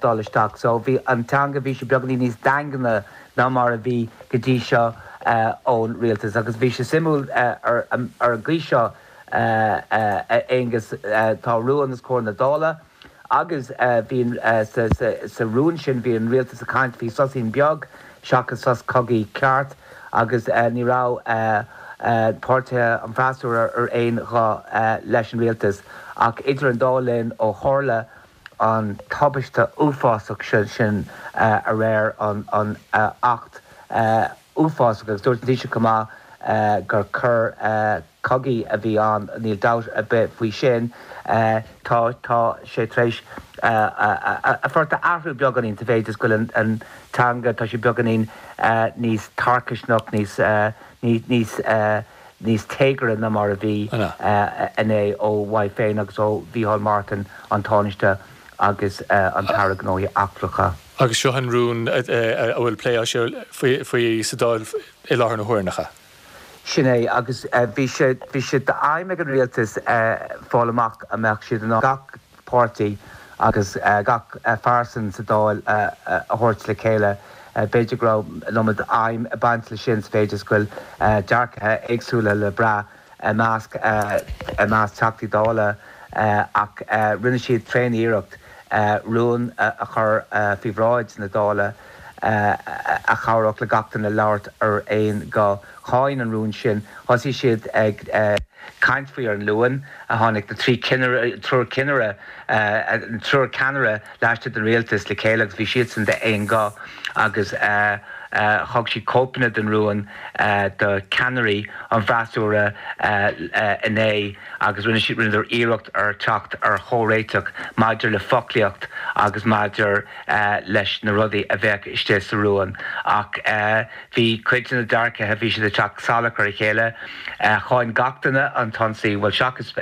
[SPEAKER 7] dul isteach. So bhí an teanga, bhí sé beagáinín níos daingne ná mar a bhí go dtí seo ón rialtas. Agus bhí sé suimiúil ar an gcaoi seo, a Aonghus, tá rún os comhair na Dála agus bhí sa rún sin, bhí an rialtas ag caint faoi soisín beag seachas sos cogaidh ceart agus ní raibh páirtithe an fhreasúra ar aon ghuth leis an rialtas. Ach idir an dá linn, ó tharla an tubaiste uafásach sin aréir, an t-acht uafásach, agus dúirt an Taoiseach chomh maith gur coir chogaidh a bhí ann, níl dabht ar bith faoi sin, tá tá sé tar éis a phort a athrú beagáinín sa mhéid is go bhfuil an teanga, tá sé beagáinín níos tarcaisneach, níos níos níos téagaire ná mar a bhí inné ó uaidh féin agus ó Mhícheál Martin, an Tánaiste agus an tAire Gnóthaí Eachtracha.
[SPEAKER 1] Agus seo an rún a bhfuil plé á faoi faoi sa Dáil i láthair na huaire, nach ea?
[SPEAKER 7] Sin é, agus bhí sé bhí sé d'aidhm ag an rialtas fáil amach an mbeadh siad in ann gach páirtí agus gach phearsan sa Dáil a thabhairt le chéile. B'fhéidir go raibh an iomad aidhm ag baint leis sin sa mhéid is go bhfuil dearcaithe éagsúla le brath i measc i measc Teachtaí Dála ach rinne siad tréan-iarracht rún a chur faoi bhráid na Dála a chabhródh le gach duine labhairt ar aon ghuth. Cháin an rún sin. Thosaigh siad ag caint faoi ar an Luan. Tháinig na trí cinnire, triúr cinnire, an triúr ceannaire laistigh den rialtas le chéile agus bhí siadsan d'aon ghuth agus thug siad cóipeanna den rún do cheannairí an bhfreasúra inné agus rinne siad, rinneadar iarracht ar teacht ar chomhréiteach maidir le foclaíocht agus maidir leis na rudaí a bheadh istigh sa rún. Ach bhí cuid de na dearcaithe, bhí siad ag teacht salach ar a chéile. Cháin gach duine an t-ionsaí, bhuel seachas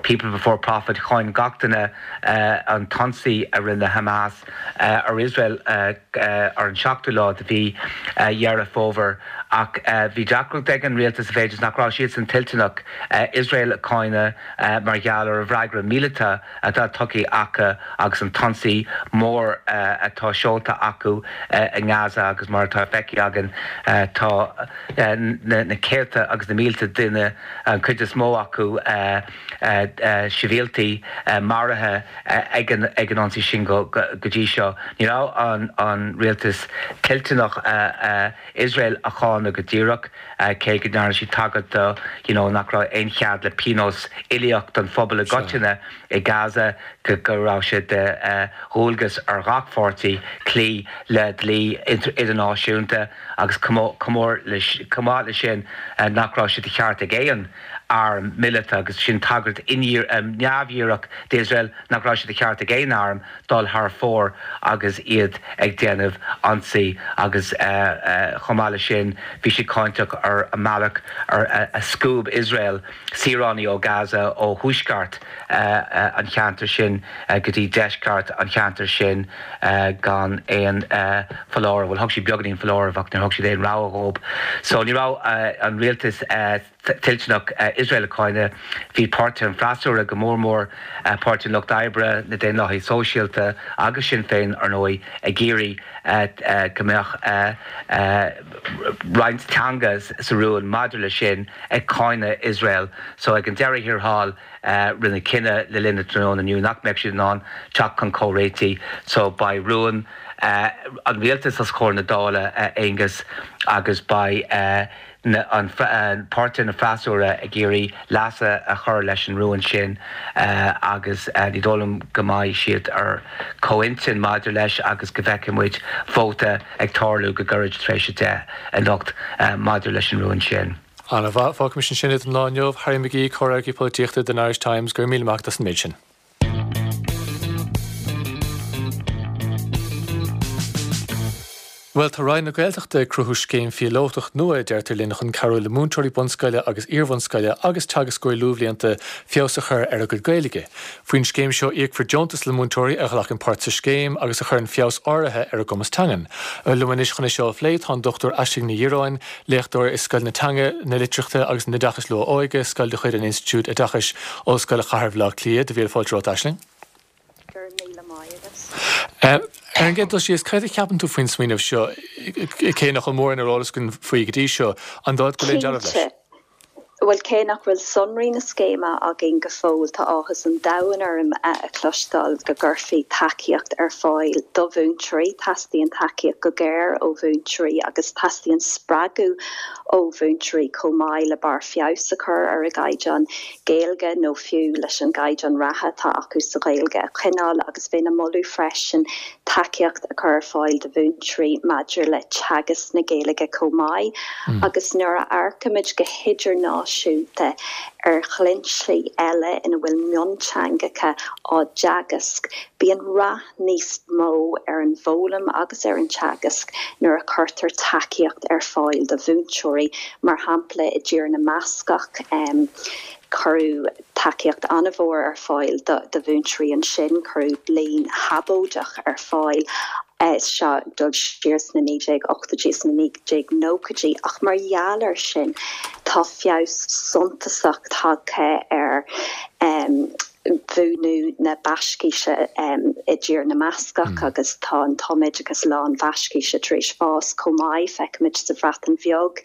[SPEAKER 7] People Before Profit, cháin gach duine an t-ionsaí a rinne Hamas ar Iosrael ar an seachtú lá de mhí Dheireadh Fómhair. Ach bhí deacracht ag an rialtas sa mhéid is nach raibh siadsan toilteanach Iosrael a cháineadh mar gheall ar an bhfreagra míleata atá tugtha acu agus an t-ionsaí mór atá seolta acu i nGaza agus mar atá feicthe againn tá na céadta agus na mílte duine, an chuid is mó acu sibhialtaigh, maraithe ag an ionsaí sin go dtí seo. Ní raibh an rialtas toilteanach Iosrael a cháineadh go díreach, cé go ndearna siad tagairt do you know nach raibh aon chead le pionós uilíoch don phobal i gcoitinne i Gaza, go raibh sé de dhualgas ar ghach pháirtí cloí le dlí idirnáisiúnta agus chomh maith leis sin nach raibh sé de cheart ag aon arm míleata, agus sin tagairt neamhdhíreach d'Iosrael, nach raibh sé de cheart ag aon arm dul thar fóir agus iad ag déanamh ionsaí agus chomh maith leis sin bhí siad cáinteach ar an mbealach ar a scuab Iosrael saoránaigh ó Gaza ó thuaisceart an cheantair sin go dtí deisceart an cheantair sin gan aon foláireamh, bhuel thug siad beagáinín foláirimh ach níor thug siad aon rabhadh dhóibh. So ní raibh an rialtas toilteanach Iosrael a cháineadh. Bhí páirtithe an fhreasúra, go mór mór Páirtí an Lucht Oibre, na Daonlathaithe Sóisialta agus Sinn Féin, ar ndóigh, ag iarraidh go mbeadh roinnt teanga sa rún maidir leis sin, ag cáineadh Iosrael. So ag an deireadh thiar thall, rinneadh cinneadh le linn an tráthnóna inniu nach mbeadh siad in ann teacht chun comhréitigh. So beidh rún an rialtais os comhair na Dála, a Aonghus, agus beidh an páirtithe na freasúra ag iarraidh leasuithe a chur leis an rún sin agus ní dóigh liom go mbeidh siad ar comhintinn maidir leis agus go bhfeicfidh muid vóta ag tarlú go gairid tar éis a deich anocht maidir leis an rún sin.
[SPEAKER 1] Ana-mhaith. Fágfaimis ansin é don lá inniu. Harry McGee, Comhfhreagraí Polaitíochta don Irish Times, go raibh míle maith agat as an méid sin. Bhuel, tá Roinn na Gaeltachta ag cruthú scéim phíolótach nua, a deirtear linn, chun cabhrú le múinteoirí bunscoile agus iarbhunscoile agus teagascóirí luathbhlianta feabhas a chur ar a gcuid Gaeilge. Faoin scéim seo íocfar deontas le múinteoirí a ghlacann páirt sa scéim agus a chuireann feabhas áirithe ar a gcumas teangan. Liom anois chun é seo a phlé tá an Dochtúir Aisling Ní Dhireáin, léachtóir i Scoil na Teanga, na Litríochta agus an Oideachais Luath-Óige, scoil de chuid an Institiúid Oideachais, Ollscoil Chathair Bhaile Átha Cliath. Míle fáilte romhat, Aisling.
[SPEAKER 8] Go raibh míle maith agat.
[SPEAKER 1] Ar an gcéad dul síos, cad a cheapann tú faoin smaoineamh seo, cé nach bhfuil mórán ar eolas againn faoi go dtí seo, an dóigh go bhfuil aon dealramh leis?
[SPEAKER 8] Cinnte. Bhuel, cé nach bhfuil sonraí na scéime againn go fóill, tá áthas an domhain orm a chloisteáil go gcuirfí tacaíocht ar fáil do mhúinteoirí. Teastaíonn tacaíocht go géar ó mhúinteoirí agus teastaíonn spreagadh ó mhúinteoirí chomh maith le barr feabhais a chur ar a gcaighdeán Gaeilge nó fiú leis an gcaighdeán reatha atá acu sa Ghaeilge a choinneáil agus bheinn ag moladh freisin tacaíocht a chur ar fáil do mhúinteoirí maidir le teagasc na Gaeilge chomh maith agus nuair a amharcaimid go hidirnáisiúnta ar dhlínsí eile ina bhfuil mionteangacha á dteagasc, bíonn rath níos mó ar an bhfoghlaim agus ar an teagasc nuair a chuirtear tacaíocht ar fáil do mhúinteoirí. Mar shampla, i dTír na mBascach, cuireadh tacaíocht an-mhór ar fáil do mhúinteoirí ansin, cuireadh bliain shabóideach ar fáil Seo ag dul siar sna naoi déag ochtóidí is na naoi déag nóchaidí ach mar gheall air sin tá feabhas suntasach tagtha ar mhúineadh na Bascaise i dTír na mBascach agus tá an tumoideachas lán-Bhascaise tar éis fás chomh maith, feicimid sa Bhreatain Bheag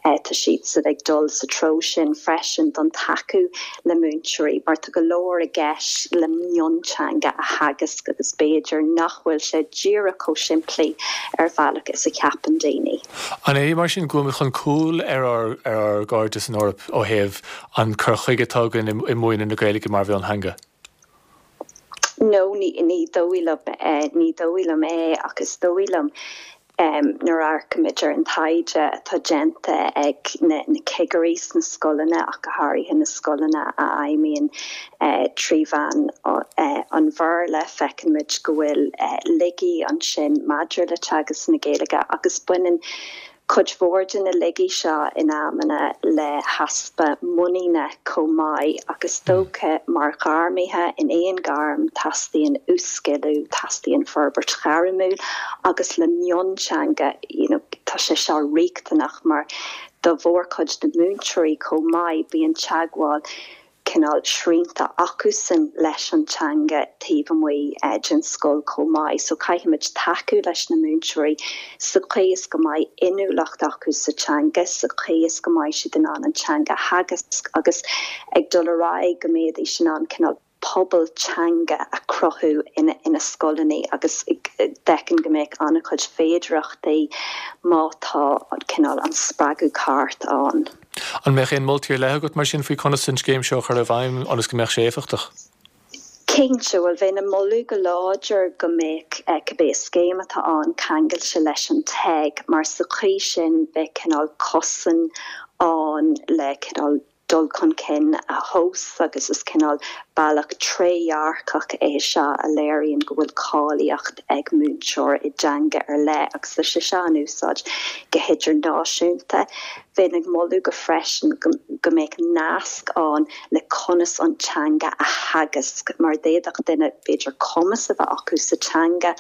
[SPEAKER 8] tá siadsan ag dul sa treo sin freisin don tacú le múinteoirí mar tá go leor i gceist le mionteanga a theagasc agus b'fhéidir nach bhfuil sé díreach chomh simplí ar bhealach is a cheapann daoine.
[SPEAKER 1] An é mar sin go bhfuil muid chun cúil ar ár ar ár gcairde san Eoraip ó thaobh an cur chuige atá againn i múineadh na Gaeilge mar mhiontheanga?
[SPEAKER 8] No, ní ní dóigh liom ní dóigh liom é ach is dóigh liom nuair a amharcaimid ar an taighde atá déanta ag na cigirí sna scoileanna ach go háirithe na scoileanna a fheidhmíonn trí mheán an Bhéarla, feicimid go bhfuil laigí ansin maidir le teagasc na Gaeilge agus baineann cuid mhór de na laigí seo in amanna le heaspa muiníne chomh maith ach is dócha mar ghairmithe in aon ghairm teastaíonn uas-sciliú, teastaíonn forbairt ghairmiúil agus le mionteanga you know tá sé seo riachtanach mar do mhórchuid de mhúinteoirí chomh maith bíonn teagmháil cineál srianta acusan leis an teanga taobh amuigh den scoil chomh maith. So caithfimid tacú leis na múinteoirí sa chaoi is go mbeidh inniúlacht acu sa teanga, sa chaoi is go mbeidh siad in ann an teanga a theagasc agus ag dul ar aghaidh go mbeidís in ann cineál pobal teanga a chruthú ina ina scoileanna agus d'fheicfinn go mbeadh an-chuid féidearthachtaí má tá cineál an spreagadh ceart ann.
[SPEAKER 1] An mbeadh aon moltaí ar leith agat mar sin faoi conas an scéim seo a chur i bhfeidhm ionas go mbeadh sé éifeachtach?
[SPEAKER 8] Cinnte, bhuel bheinn ag moladh go láidir go mbeadh cibé scéim atá ann ceangailte leis an TEG mar sa chaoi sin beidh cineál cosán ann le cineál dul chun cinn a thomhas agus is cineál bealach trédhearcach é seo a léiríonn go bhfuil cáilíocht ag múinteoir i dteanga ar leith agus tá sé seo in úsáid go hidirnáisiúnta. Bheinn ag moladh go freisin go mbeadh nasc ann le conas an teanga a theagasc mar d'fhéadfadh duine b'fhéidir cumas a bheith acu sa teanga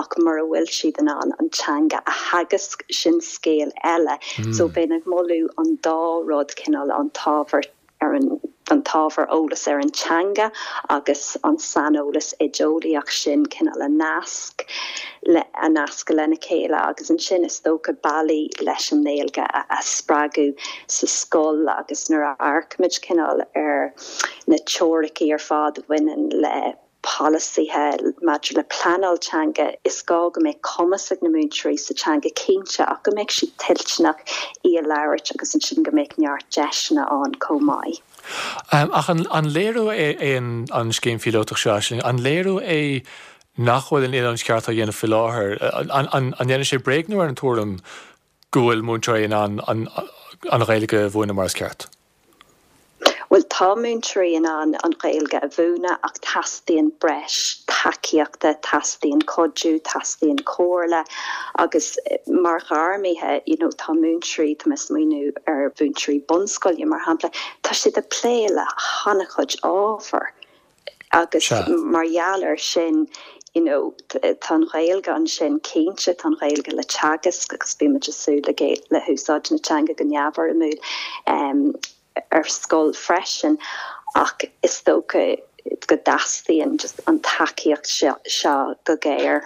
[SPEAKER 8] ach mura bhfuil siad in ann an teanga a theagasc sin scéal eile. So bheinn ag moladh an dá rud cineál an t-ábhar ar an an t-ábhar eolas ar an teanga agus an saineolas oideolaíoch sin cineál a nasc le a nascadh lena chéile agus ansin is dócha bealaí leis an nGaeilge a, a spreagadh sa scoil agus nuair a amharcaimid cineál ar na teoiricí ar fad a bhaineann le polasaithe maidir le pleanáil teanga, is gá go mbeidh cumas ag na múinteoirí sa teanga cinnte ach go mbeidh siad toilteanach í a labhairt agus ansin go mbeidh neart deiseanna ann chomh maith.
[SPEAKER 1] Ach an léiriú é an scéim phíolótach seo, Aisling, an léiriú é nach bhfuil an oiliúint cheart á dhéanamh faoi láthair? An ndéanann sé bréagnú ar an tuairim go bhfuil múinteoirí in ann an Ghaeilge a mhúineadh mar is ceart?
[SPEAKER 8] Bhuel, tá múinteoirí in ann an Ghaeilge a mhúineadh ach teastaíonn breis tacaíochta, teastaíonn cuidiú, teastaíonn comhairle agus mar ghairmithe, you know, tá múinteoirí, tá mé ag smaoineamh ar mhúinteoirí bunscoile mar shampla, tá siad ag plé le han-chuid ábhar agus mar gheall air sin, you know, tá an Ghaeilge ansin cinnte, tá an Ghaeilge le teagasc agus bímid ag súil le le húsáid na teanga go neamhfhoirmiúil. Um, ar scoil freisin ach is dócha go dteastaíonn just an tacaíocht seo go géar.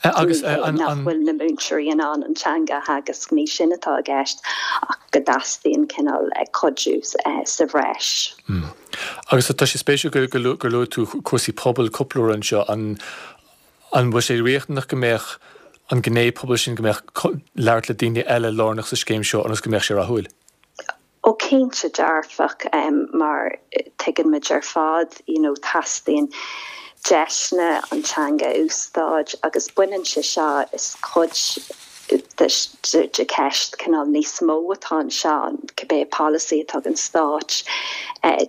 [SPEAKER 1] Agus
[SPEAKER 8] nach bhfuil na múinteoirí in ann an teanga a theagasc ní sin atá i gceist ach go dteastaíonn cineál cuidiú sa bhreis.
[SPEAKER 1] Agus tá sé spéisiúil gur luaigh tú cúrsaí pobail cúpla uair anseo an an bhfuil sé riachtanach go mbeadh an gné pobail sin go mbeadh labhairt le daoine eile lárnach sa scéim seo ionas go mbeadh sé rathúil?
[SPEAKER 8] Ó cinnte dearfach mar tuigeann muid ar fad you know teastaíonn deiseanna an teanga a úsáid agus baineann sé seo is cuid de cheist cineál níos mó atá anseo, cibé polasaí atá ag an Stát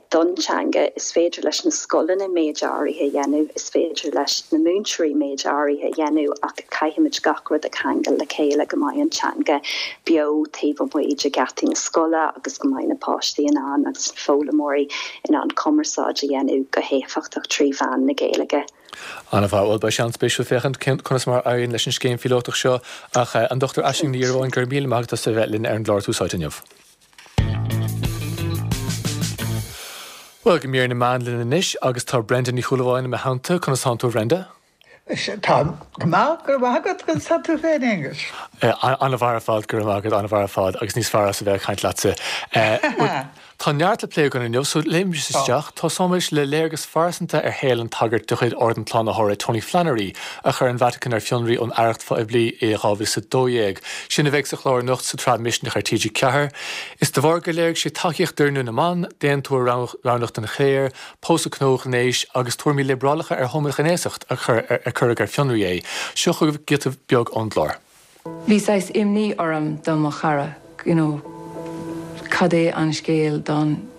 [SPEAKER 8] don teanga, is féidir leis na scoileanna méid áirithe a dhéanamh, is féidir leis na múinteoirí méid áirithe a dhéanamh ach caithfimid gach rud a cheangal le chéile go mbeidh an teanga beo taobh amuigh de gheataí na scoile agus go mbeidh na páistí in ann agus na foghlaimeoirí in ann cumarsáid a dhéanamh go héifeachtach trí mheán na Gaeilge.
[SPEAKER 1] An-mhaith. Bhuel, beidh sé an-spéisiúil féachaint conas mar a éiríonn leis an scéim phíolótach seo ach an Dochtúir Aisling Ní Dhiorbháin, go raibh míle maith agat as a bheith linn ar an gclár Tús Áite inniu. Bhuel, go mír na meán linn anois agus tá Brenda Ní Shúilleabháin i mo theannta. Conas tánn tú, a Bhrenda?
[SPEAKER 9] Táim go maith, go raibh maith agat, conas tá tú féin, Aonghus?
[SPEAKER 1] An-mhaith ar fad, go raibh maith agat, an-mhaith ar fad agus níos fearr as a bheith ag caint leatsa. Tá neart le plé againn inniu, so léimimis isteach. Tosóimis le léargas phearsanta ar shaol an tsagairt de chuid Ord an tSlánaitheora, Tony Flannery, a chuir an Vatican ar fionraí ón aireacht phoiblí i dhá mhíle is a dó dhéag. Sin a bheidh sa chlár anocht sa tsraith Misneach ar T G ceathair. Is de bharr gur léirigh sé tacaíocht d'oirniú na mban, d'aontú roghnach don chléir, pósadh cnó-ghnéis agus tuairimí liobrálacha ar homaighnéasacht a cuireadh ar fionraí é. Seo chugaibh giota beag ón gclár.
[SPEAKER 10] Bhí saghas imní orm do mo chara, you know, cad é an scéal don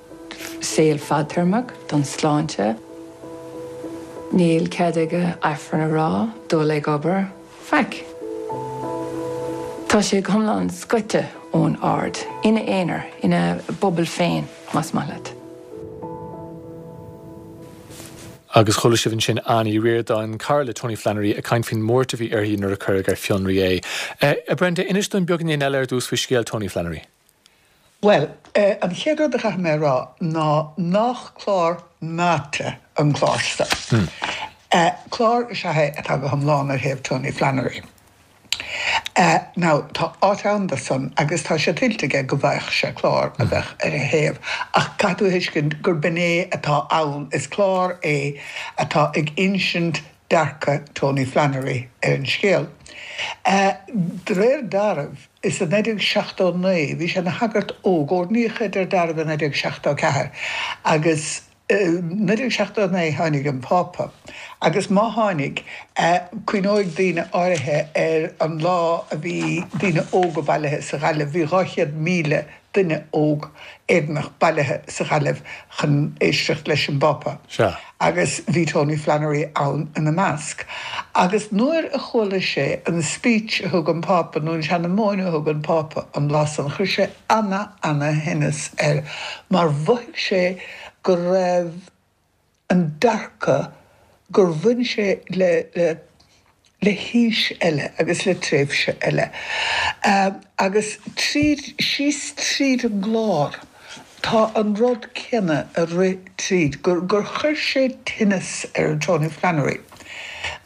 [SPEAKER 10] saol fadtéarmach, don sláinte. Níl cead aige Aifreann a rá, dul ag obair, faic. Tá sé go hiomlán scoite ón ord, ina aonar, ina bubble féin, más maith leat.
[SPEAKER 1] Agus chuala sibh ansin Anne Uí Ríordáin, cara le Tony Flannery, ag caint faoin mbuairt a bhí uirthi nuair a cuireadh ar fionraí é. A Brenda, inis dúinn beagáinín eile ar dtús faoi scéal Tony Flannery.
[SPEAKER 9] Bhuel, an chéad rud a chaithfidh mé a rá ná nach clár meáite an clár seo. Clár is ea é atá go hiomlán ar thaobh Tony Flannery. Now, tá áit ann do san agus tá sé tuillte aige go bhfaigheadh sé clár a bheadh ar a thaobh ach caithfidh tú a thuiscint gur b'in é atá ann, is clár é atá ag insint dearcadh Tony Flannery ar an scéal. De réir dealraimh, is i naoi déag seachtó naoi, bhí sé ina shagart óg, oirníodh é de réir dealraimh i naoi déag seachtó ceathair agus, naoi déag seachtó naoi tháinig an Pápa agus má tháinig, cuimhneoidh daoine áirithe ar an lá a bhí daoine óga bailithe sa Ghaillimh, bhí dhá chéad míle duine óg Éireannach bailithe sa Ghaillimh chun éisteacht leis an bPápa agus bhí Tony Flannery ann ina measc. Agus nuair a chuala sé an speech a thug an Pápa nó an seanamóin a thug an Pápa an lá san, chuir sé ana ana thinneas air mar mhothaigh sé go raibh an dearcadh gur bhain sé le le haois eile agus le tréimhse eile. Agus tríd, síos tríd an gclár, tá an rud céanna ag rith tríd, gur gur chuir sé tinneas ar Tony Flannery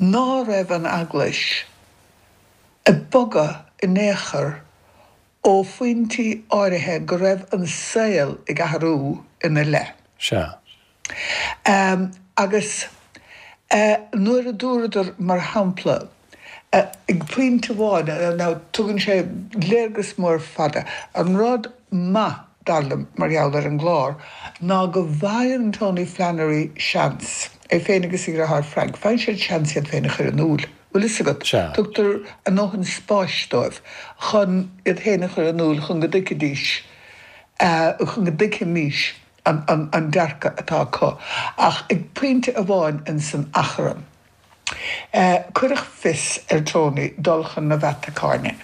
[SPEAKER 9] ná raibh an Eaglais ag bogadh in aon chor ó phointí áirithe go raibh an saol ag athrú ina leith.
[SPEAKER 1] Sea.
[SPEAKER 9] Agus nuair a dúradar, mar shampla, ag pointe amháin, now tugann sé léargas mór fada, an rud maith, dar liom, mar gheall ar an gclár, ná go bhfaigheann Tony Flannery seans, é féin agus a dheartháir Frank, faigheann siad seans iad féin a chur in iúl. Bhfuil fhios agat?
[SPEAKER 1] Sea.
[SPEAKER 9] Tugtar a ndóthain spáis dóibh chun iad féin a chur in iúl chun go dtuigfidís, chun go dtuigfimis an dearcadh atá acu. Ach ag pointe amháin ins an achrann, cuireadh fios ar Tony dul chun na Vatacáine.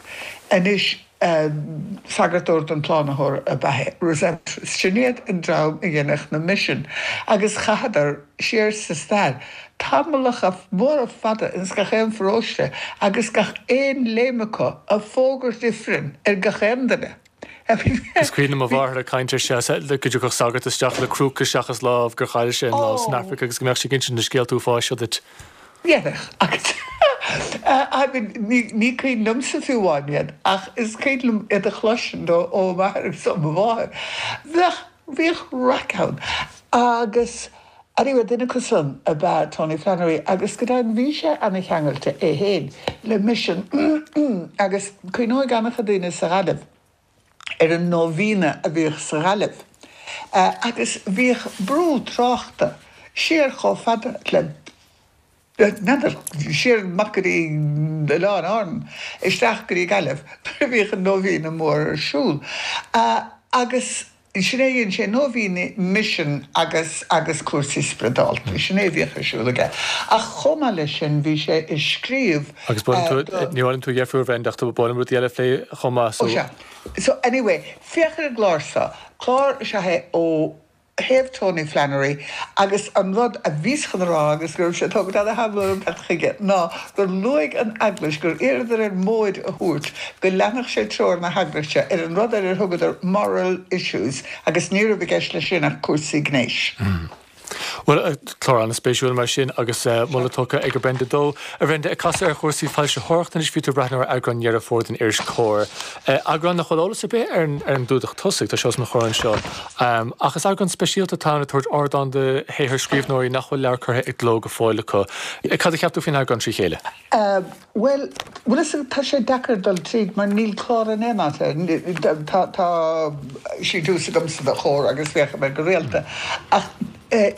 [SPEAKER 9] Anois, Sagart Ord an tSlánaitheora ab ea é. Redemptorists. Sin iad an dream a dhéanadh na misin agus chaitheadar siar sa stair tamallacha móra fada ins gach aon pharóiste agus gach aon léim acu ag fógairt ifrinn ar gach aon duine.
[SPEAKER 1] Is cuimhin liom mo mháthair ag caint ar sé go dtiocfadh sagart isteach le crúca seachas lámh gur chaill sé an lámh san Afraic agus go mbeadh sé ag insint na scéalta uafáis seo duit.
[SPEAKER 9] Dhéanfadh, agus I mean, ní, ní cuimhin liomsa fiú amháin iad, ach is cuimhin liom iad a chloisint ó, ó m'athair agus ó mo mháthair. Bheadh, bhíodh raic ann. Agus, anyway, duine acu san ab ea Tony Flannery agus go deimhin bhí sé ana-cheangailte é féin le misean agus cuimhneoidh an-chuid daoine sa Ghaillimh ar an nóibhéine a bhíodh sa Ghaillimh agus bhíodh brú tráchta siar chomh fada le N'fheadar, siar amach go dtí Oileáin Árann, isteach go dtí Gaillimh nuair a bhíodh an nóibhéine mór ar siúl. Agus sin é a dhein sé, nóibhéine, misean agus agus cúrsaí spioradálta, sin é a bhíodh ar siúl aige. Ach chomh maith leis sin bhí sé ag scríobh
[SPEAKER 1] Agus ba mhaith liom tú, ní mhaith liom tú a dheirfiúr a Bhrenda ach ba mhaith liom rudaí eile a phlé chomh maith
[SPEAKER 9] so. Ó sea. So anyway, féach ar an gclár seo. Clár is ea é ó thaobh Tony Flannery agus an rud a bhíos chun a rá agus go raibh sé tógtha ana-thamall orm teacht chuige ná gur luaigh an Eaglais gur iarradar air móid a thabhairt go leanfadh sé treoir na hEaglaise ar an rud ar ar thugadar moral issues agus ní raibh i gceist leis sin ach cúrsaí gnéis.
[SPEAKER 1] Bhuel, clár an-spéisiúil mar sin agus moladh tugtha ag Brenda dó. A Bhrenda, ag casadh ar chúrsaí foilsitheoireachta anois, bhí tú ag breathnú ar eagrán Dheireadh Fómhair den iris Comhar. Eagrán nach bhfuil eolas ar bith ar an gclúdach tosaigh, tá sé os mo chomhair anseo. Ach is eagrán speisialta atá ann ag tabhairt ardán do shaothar scríbhneoirí nach bhfuil leabhar curtha i gcló go fóill acu. Cad a cheap tú faoin eagrán trí chéile?
[SPEAKER 9] Bhuel, bhfuil fhios agat, tá sé deacair dul tríd mar níl clár in aon áit air. Tá, tá síntiús agamsa do Chomhar agus féachaim air go rialta. Ach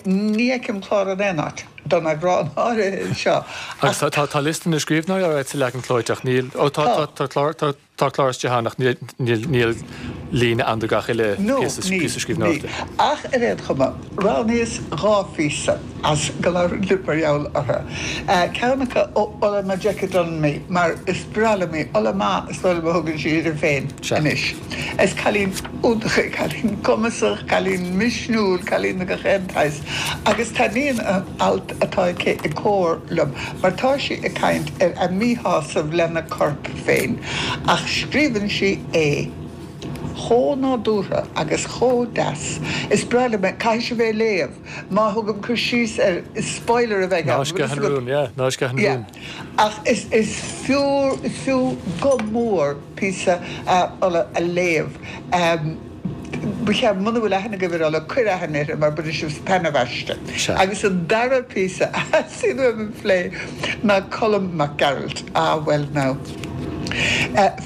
[SPEAKER 9] ní fheicim clár in aon áit don eagrán áirithe seo.
[SPEAKER 1] Agus tá, tá liosta na scríbhneoirí ar sa leagan clóite ach níl, ó tá, tá, tá clár, tá, tá clár istigh ann ach níl, níl, níl líne ann do gach uile
[SPEAKER 9] No,
[SPEAKER 1] píosa,
[SPEAKER 9] níl,
[SPEAKER 1] píosa
[SPEAKER 9] níl.
[SPEAKER 1] scríbhneoireachta.
[SPEAKER 9] Ach ar aon chuma, roghnaíos dhá phíosa as go labhrainn libh mar gheall orthu. Ceann acu ó Ola Majekodunmi mar is breá liom í, Ola Ma is dóigh liom a thugann sí uirthi féin
[SPEAKER 1] Sea.
[SPEAKER 9] anois. Is cailín iontach í, cailín cumasach, cailín misniúil, cailín de gach aon tsaghas. Agus taitníonn an alt atá aici i gComhar liom mar tá sí ag caint ar a míshásamh lena corp féin ach scríobhann sí é chomh nádúrtha agus chomh deas. Is breá liom é, caithfidh sibh é a léamh. Má thugaim cur síos air, is spoiler a bheidh
[SPEAKER 1] Ná
[SPEAKER 9] ann, bhfuil
[SPEAKER 1] sceith
[SPEAKER 9] fhios
[SPEAKER 1] an
[SPEAKER 9] agat?
[SPEAKER 1] rún, yeah, ná sceith an
[SPEAKER 9] Yeah.
[SPEAKER 1] rún.
[SPEAKER 9] Ach is is fiú, is fiú go mór píosa Ola a léamh. Ba cheart, muna bhfuil aithne agaibh ar Ola, cuir aithne uirthi mar bainfidh sibh taitneamh aisti.
[SPEAKER 1] Sea.
[SPEAKER 9] Agus an dara píosa a theastaíonn uaim a phlé ná Colm Mac Gearailt. Ah, well now.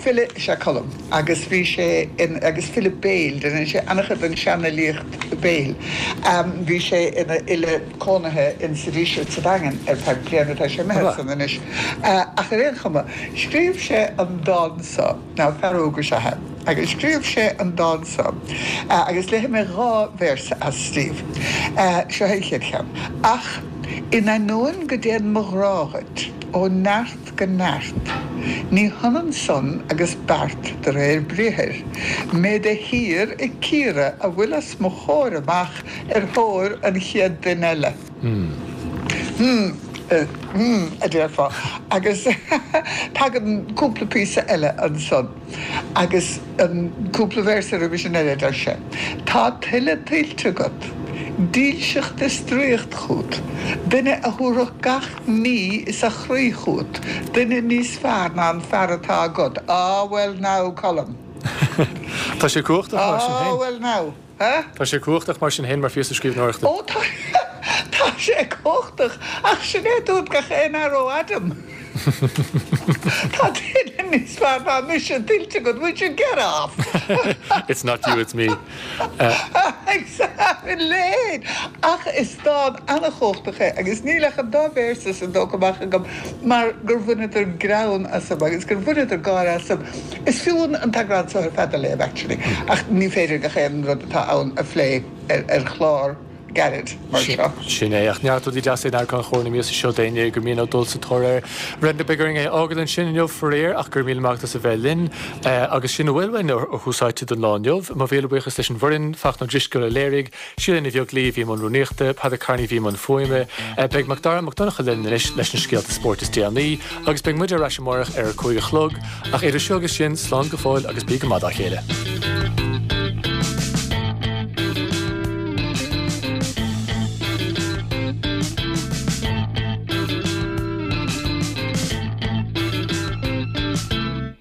[SPEAKER 9] File is ea Colm agus bhí sé in, agus file béil, déanann sé an-chuid den seanfhilíocht béil. Bhí sé ina fhile cónaithe in sa Díseart sa Daingean ar feadh bliana, tá sé imithe as san anois. Ach ar aon chuma, scríobh sé an dán seo, now fear óg is ea é, agus scríobh sé an dán seo agus léifidh mé dhá véarsa as daoibh. Seo é an chéad cheann. Ach in ainneoin go dtéann mo ghrá dhuit ó neart go neart, ní hionann san agus beart de réir briathair, mé de shíor ag cíoradh a bhfuil os mo chomhair amach ar thóir an chéad duine eile. Hmm, hmm, a déarfá. Agus tagann cúpla píosa eile ansan. Agus an cúpla véarsa roimhe sin eile, deir sé, Tá tuilleadh tuillte agat, dílseacht is draíocht chút, duine a thabharfadh gach ní is a chroí chút, duine níos fearr ná an fear atá agat. Ah, well now, Colm.
[SPEAKER 1] Tá sé cumhachtach mar sin
[SPEAKER 9] Ah,
[SPEAKER 1] féin.
[SPEAKER 9] well now. Huh?
[SPEAKER 1] Tá sé cumhachtach mar sin féin mar phíosa scríbhneoireachta.
[SPEAKER 9] Ó, tá, tá sé cumhachtach, ach sin é a dúirt gach aon fhear ó Adam. Tá duine níos fearr ná mise tuillte agat, would you get off?
[SPEAKER 1] It's not you, it's me.
[SPEAKER 9] Exactly! Ach is dán an-chumhachtach é agus níl ach an dá véarsa san tógtha amach agam mar gur bhaineadar greann asam agus gur bhaineadar gáire asam. Is fiú an t-eagrán seo ar fad a léamh actually ach ní féidir gach aon rud atá ann a phlé ar chlár gairid mar seo.
[SPEAKER 1] Sin é, ach neart rudaí deasa in eagrán Chomhar na míosa seo d'éinne gur mian leo dul sa tóir air. Brenda, beidh orainn é a fhágáil ansin inniu faraor ach go raibh míle maith agat as a bheith linn. Agus sin a bhfuil uainn ó Thús Áite don lá inniu. Mo mhíle buíochas leis an bhfoireann, Fachtna Ó Drisceoil a léirigh, Síle Ní Bheaglaoí a bhí i mbun rúnaíochta, Peadar Kearney a bhí i mbun fuaime. Beidh Macdara Mac Donncha linn anois leis na scéalta spóirt is déanaí agus beidh muid ar ais amárach ar a cúig a chlog. Ach idir seo agus sin, slán go fóill agus bí go maith dá chéile.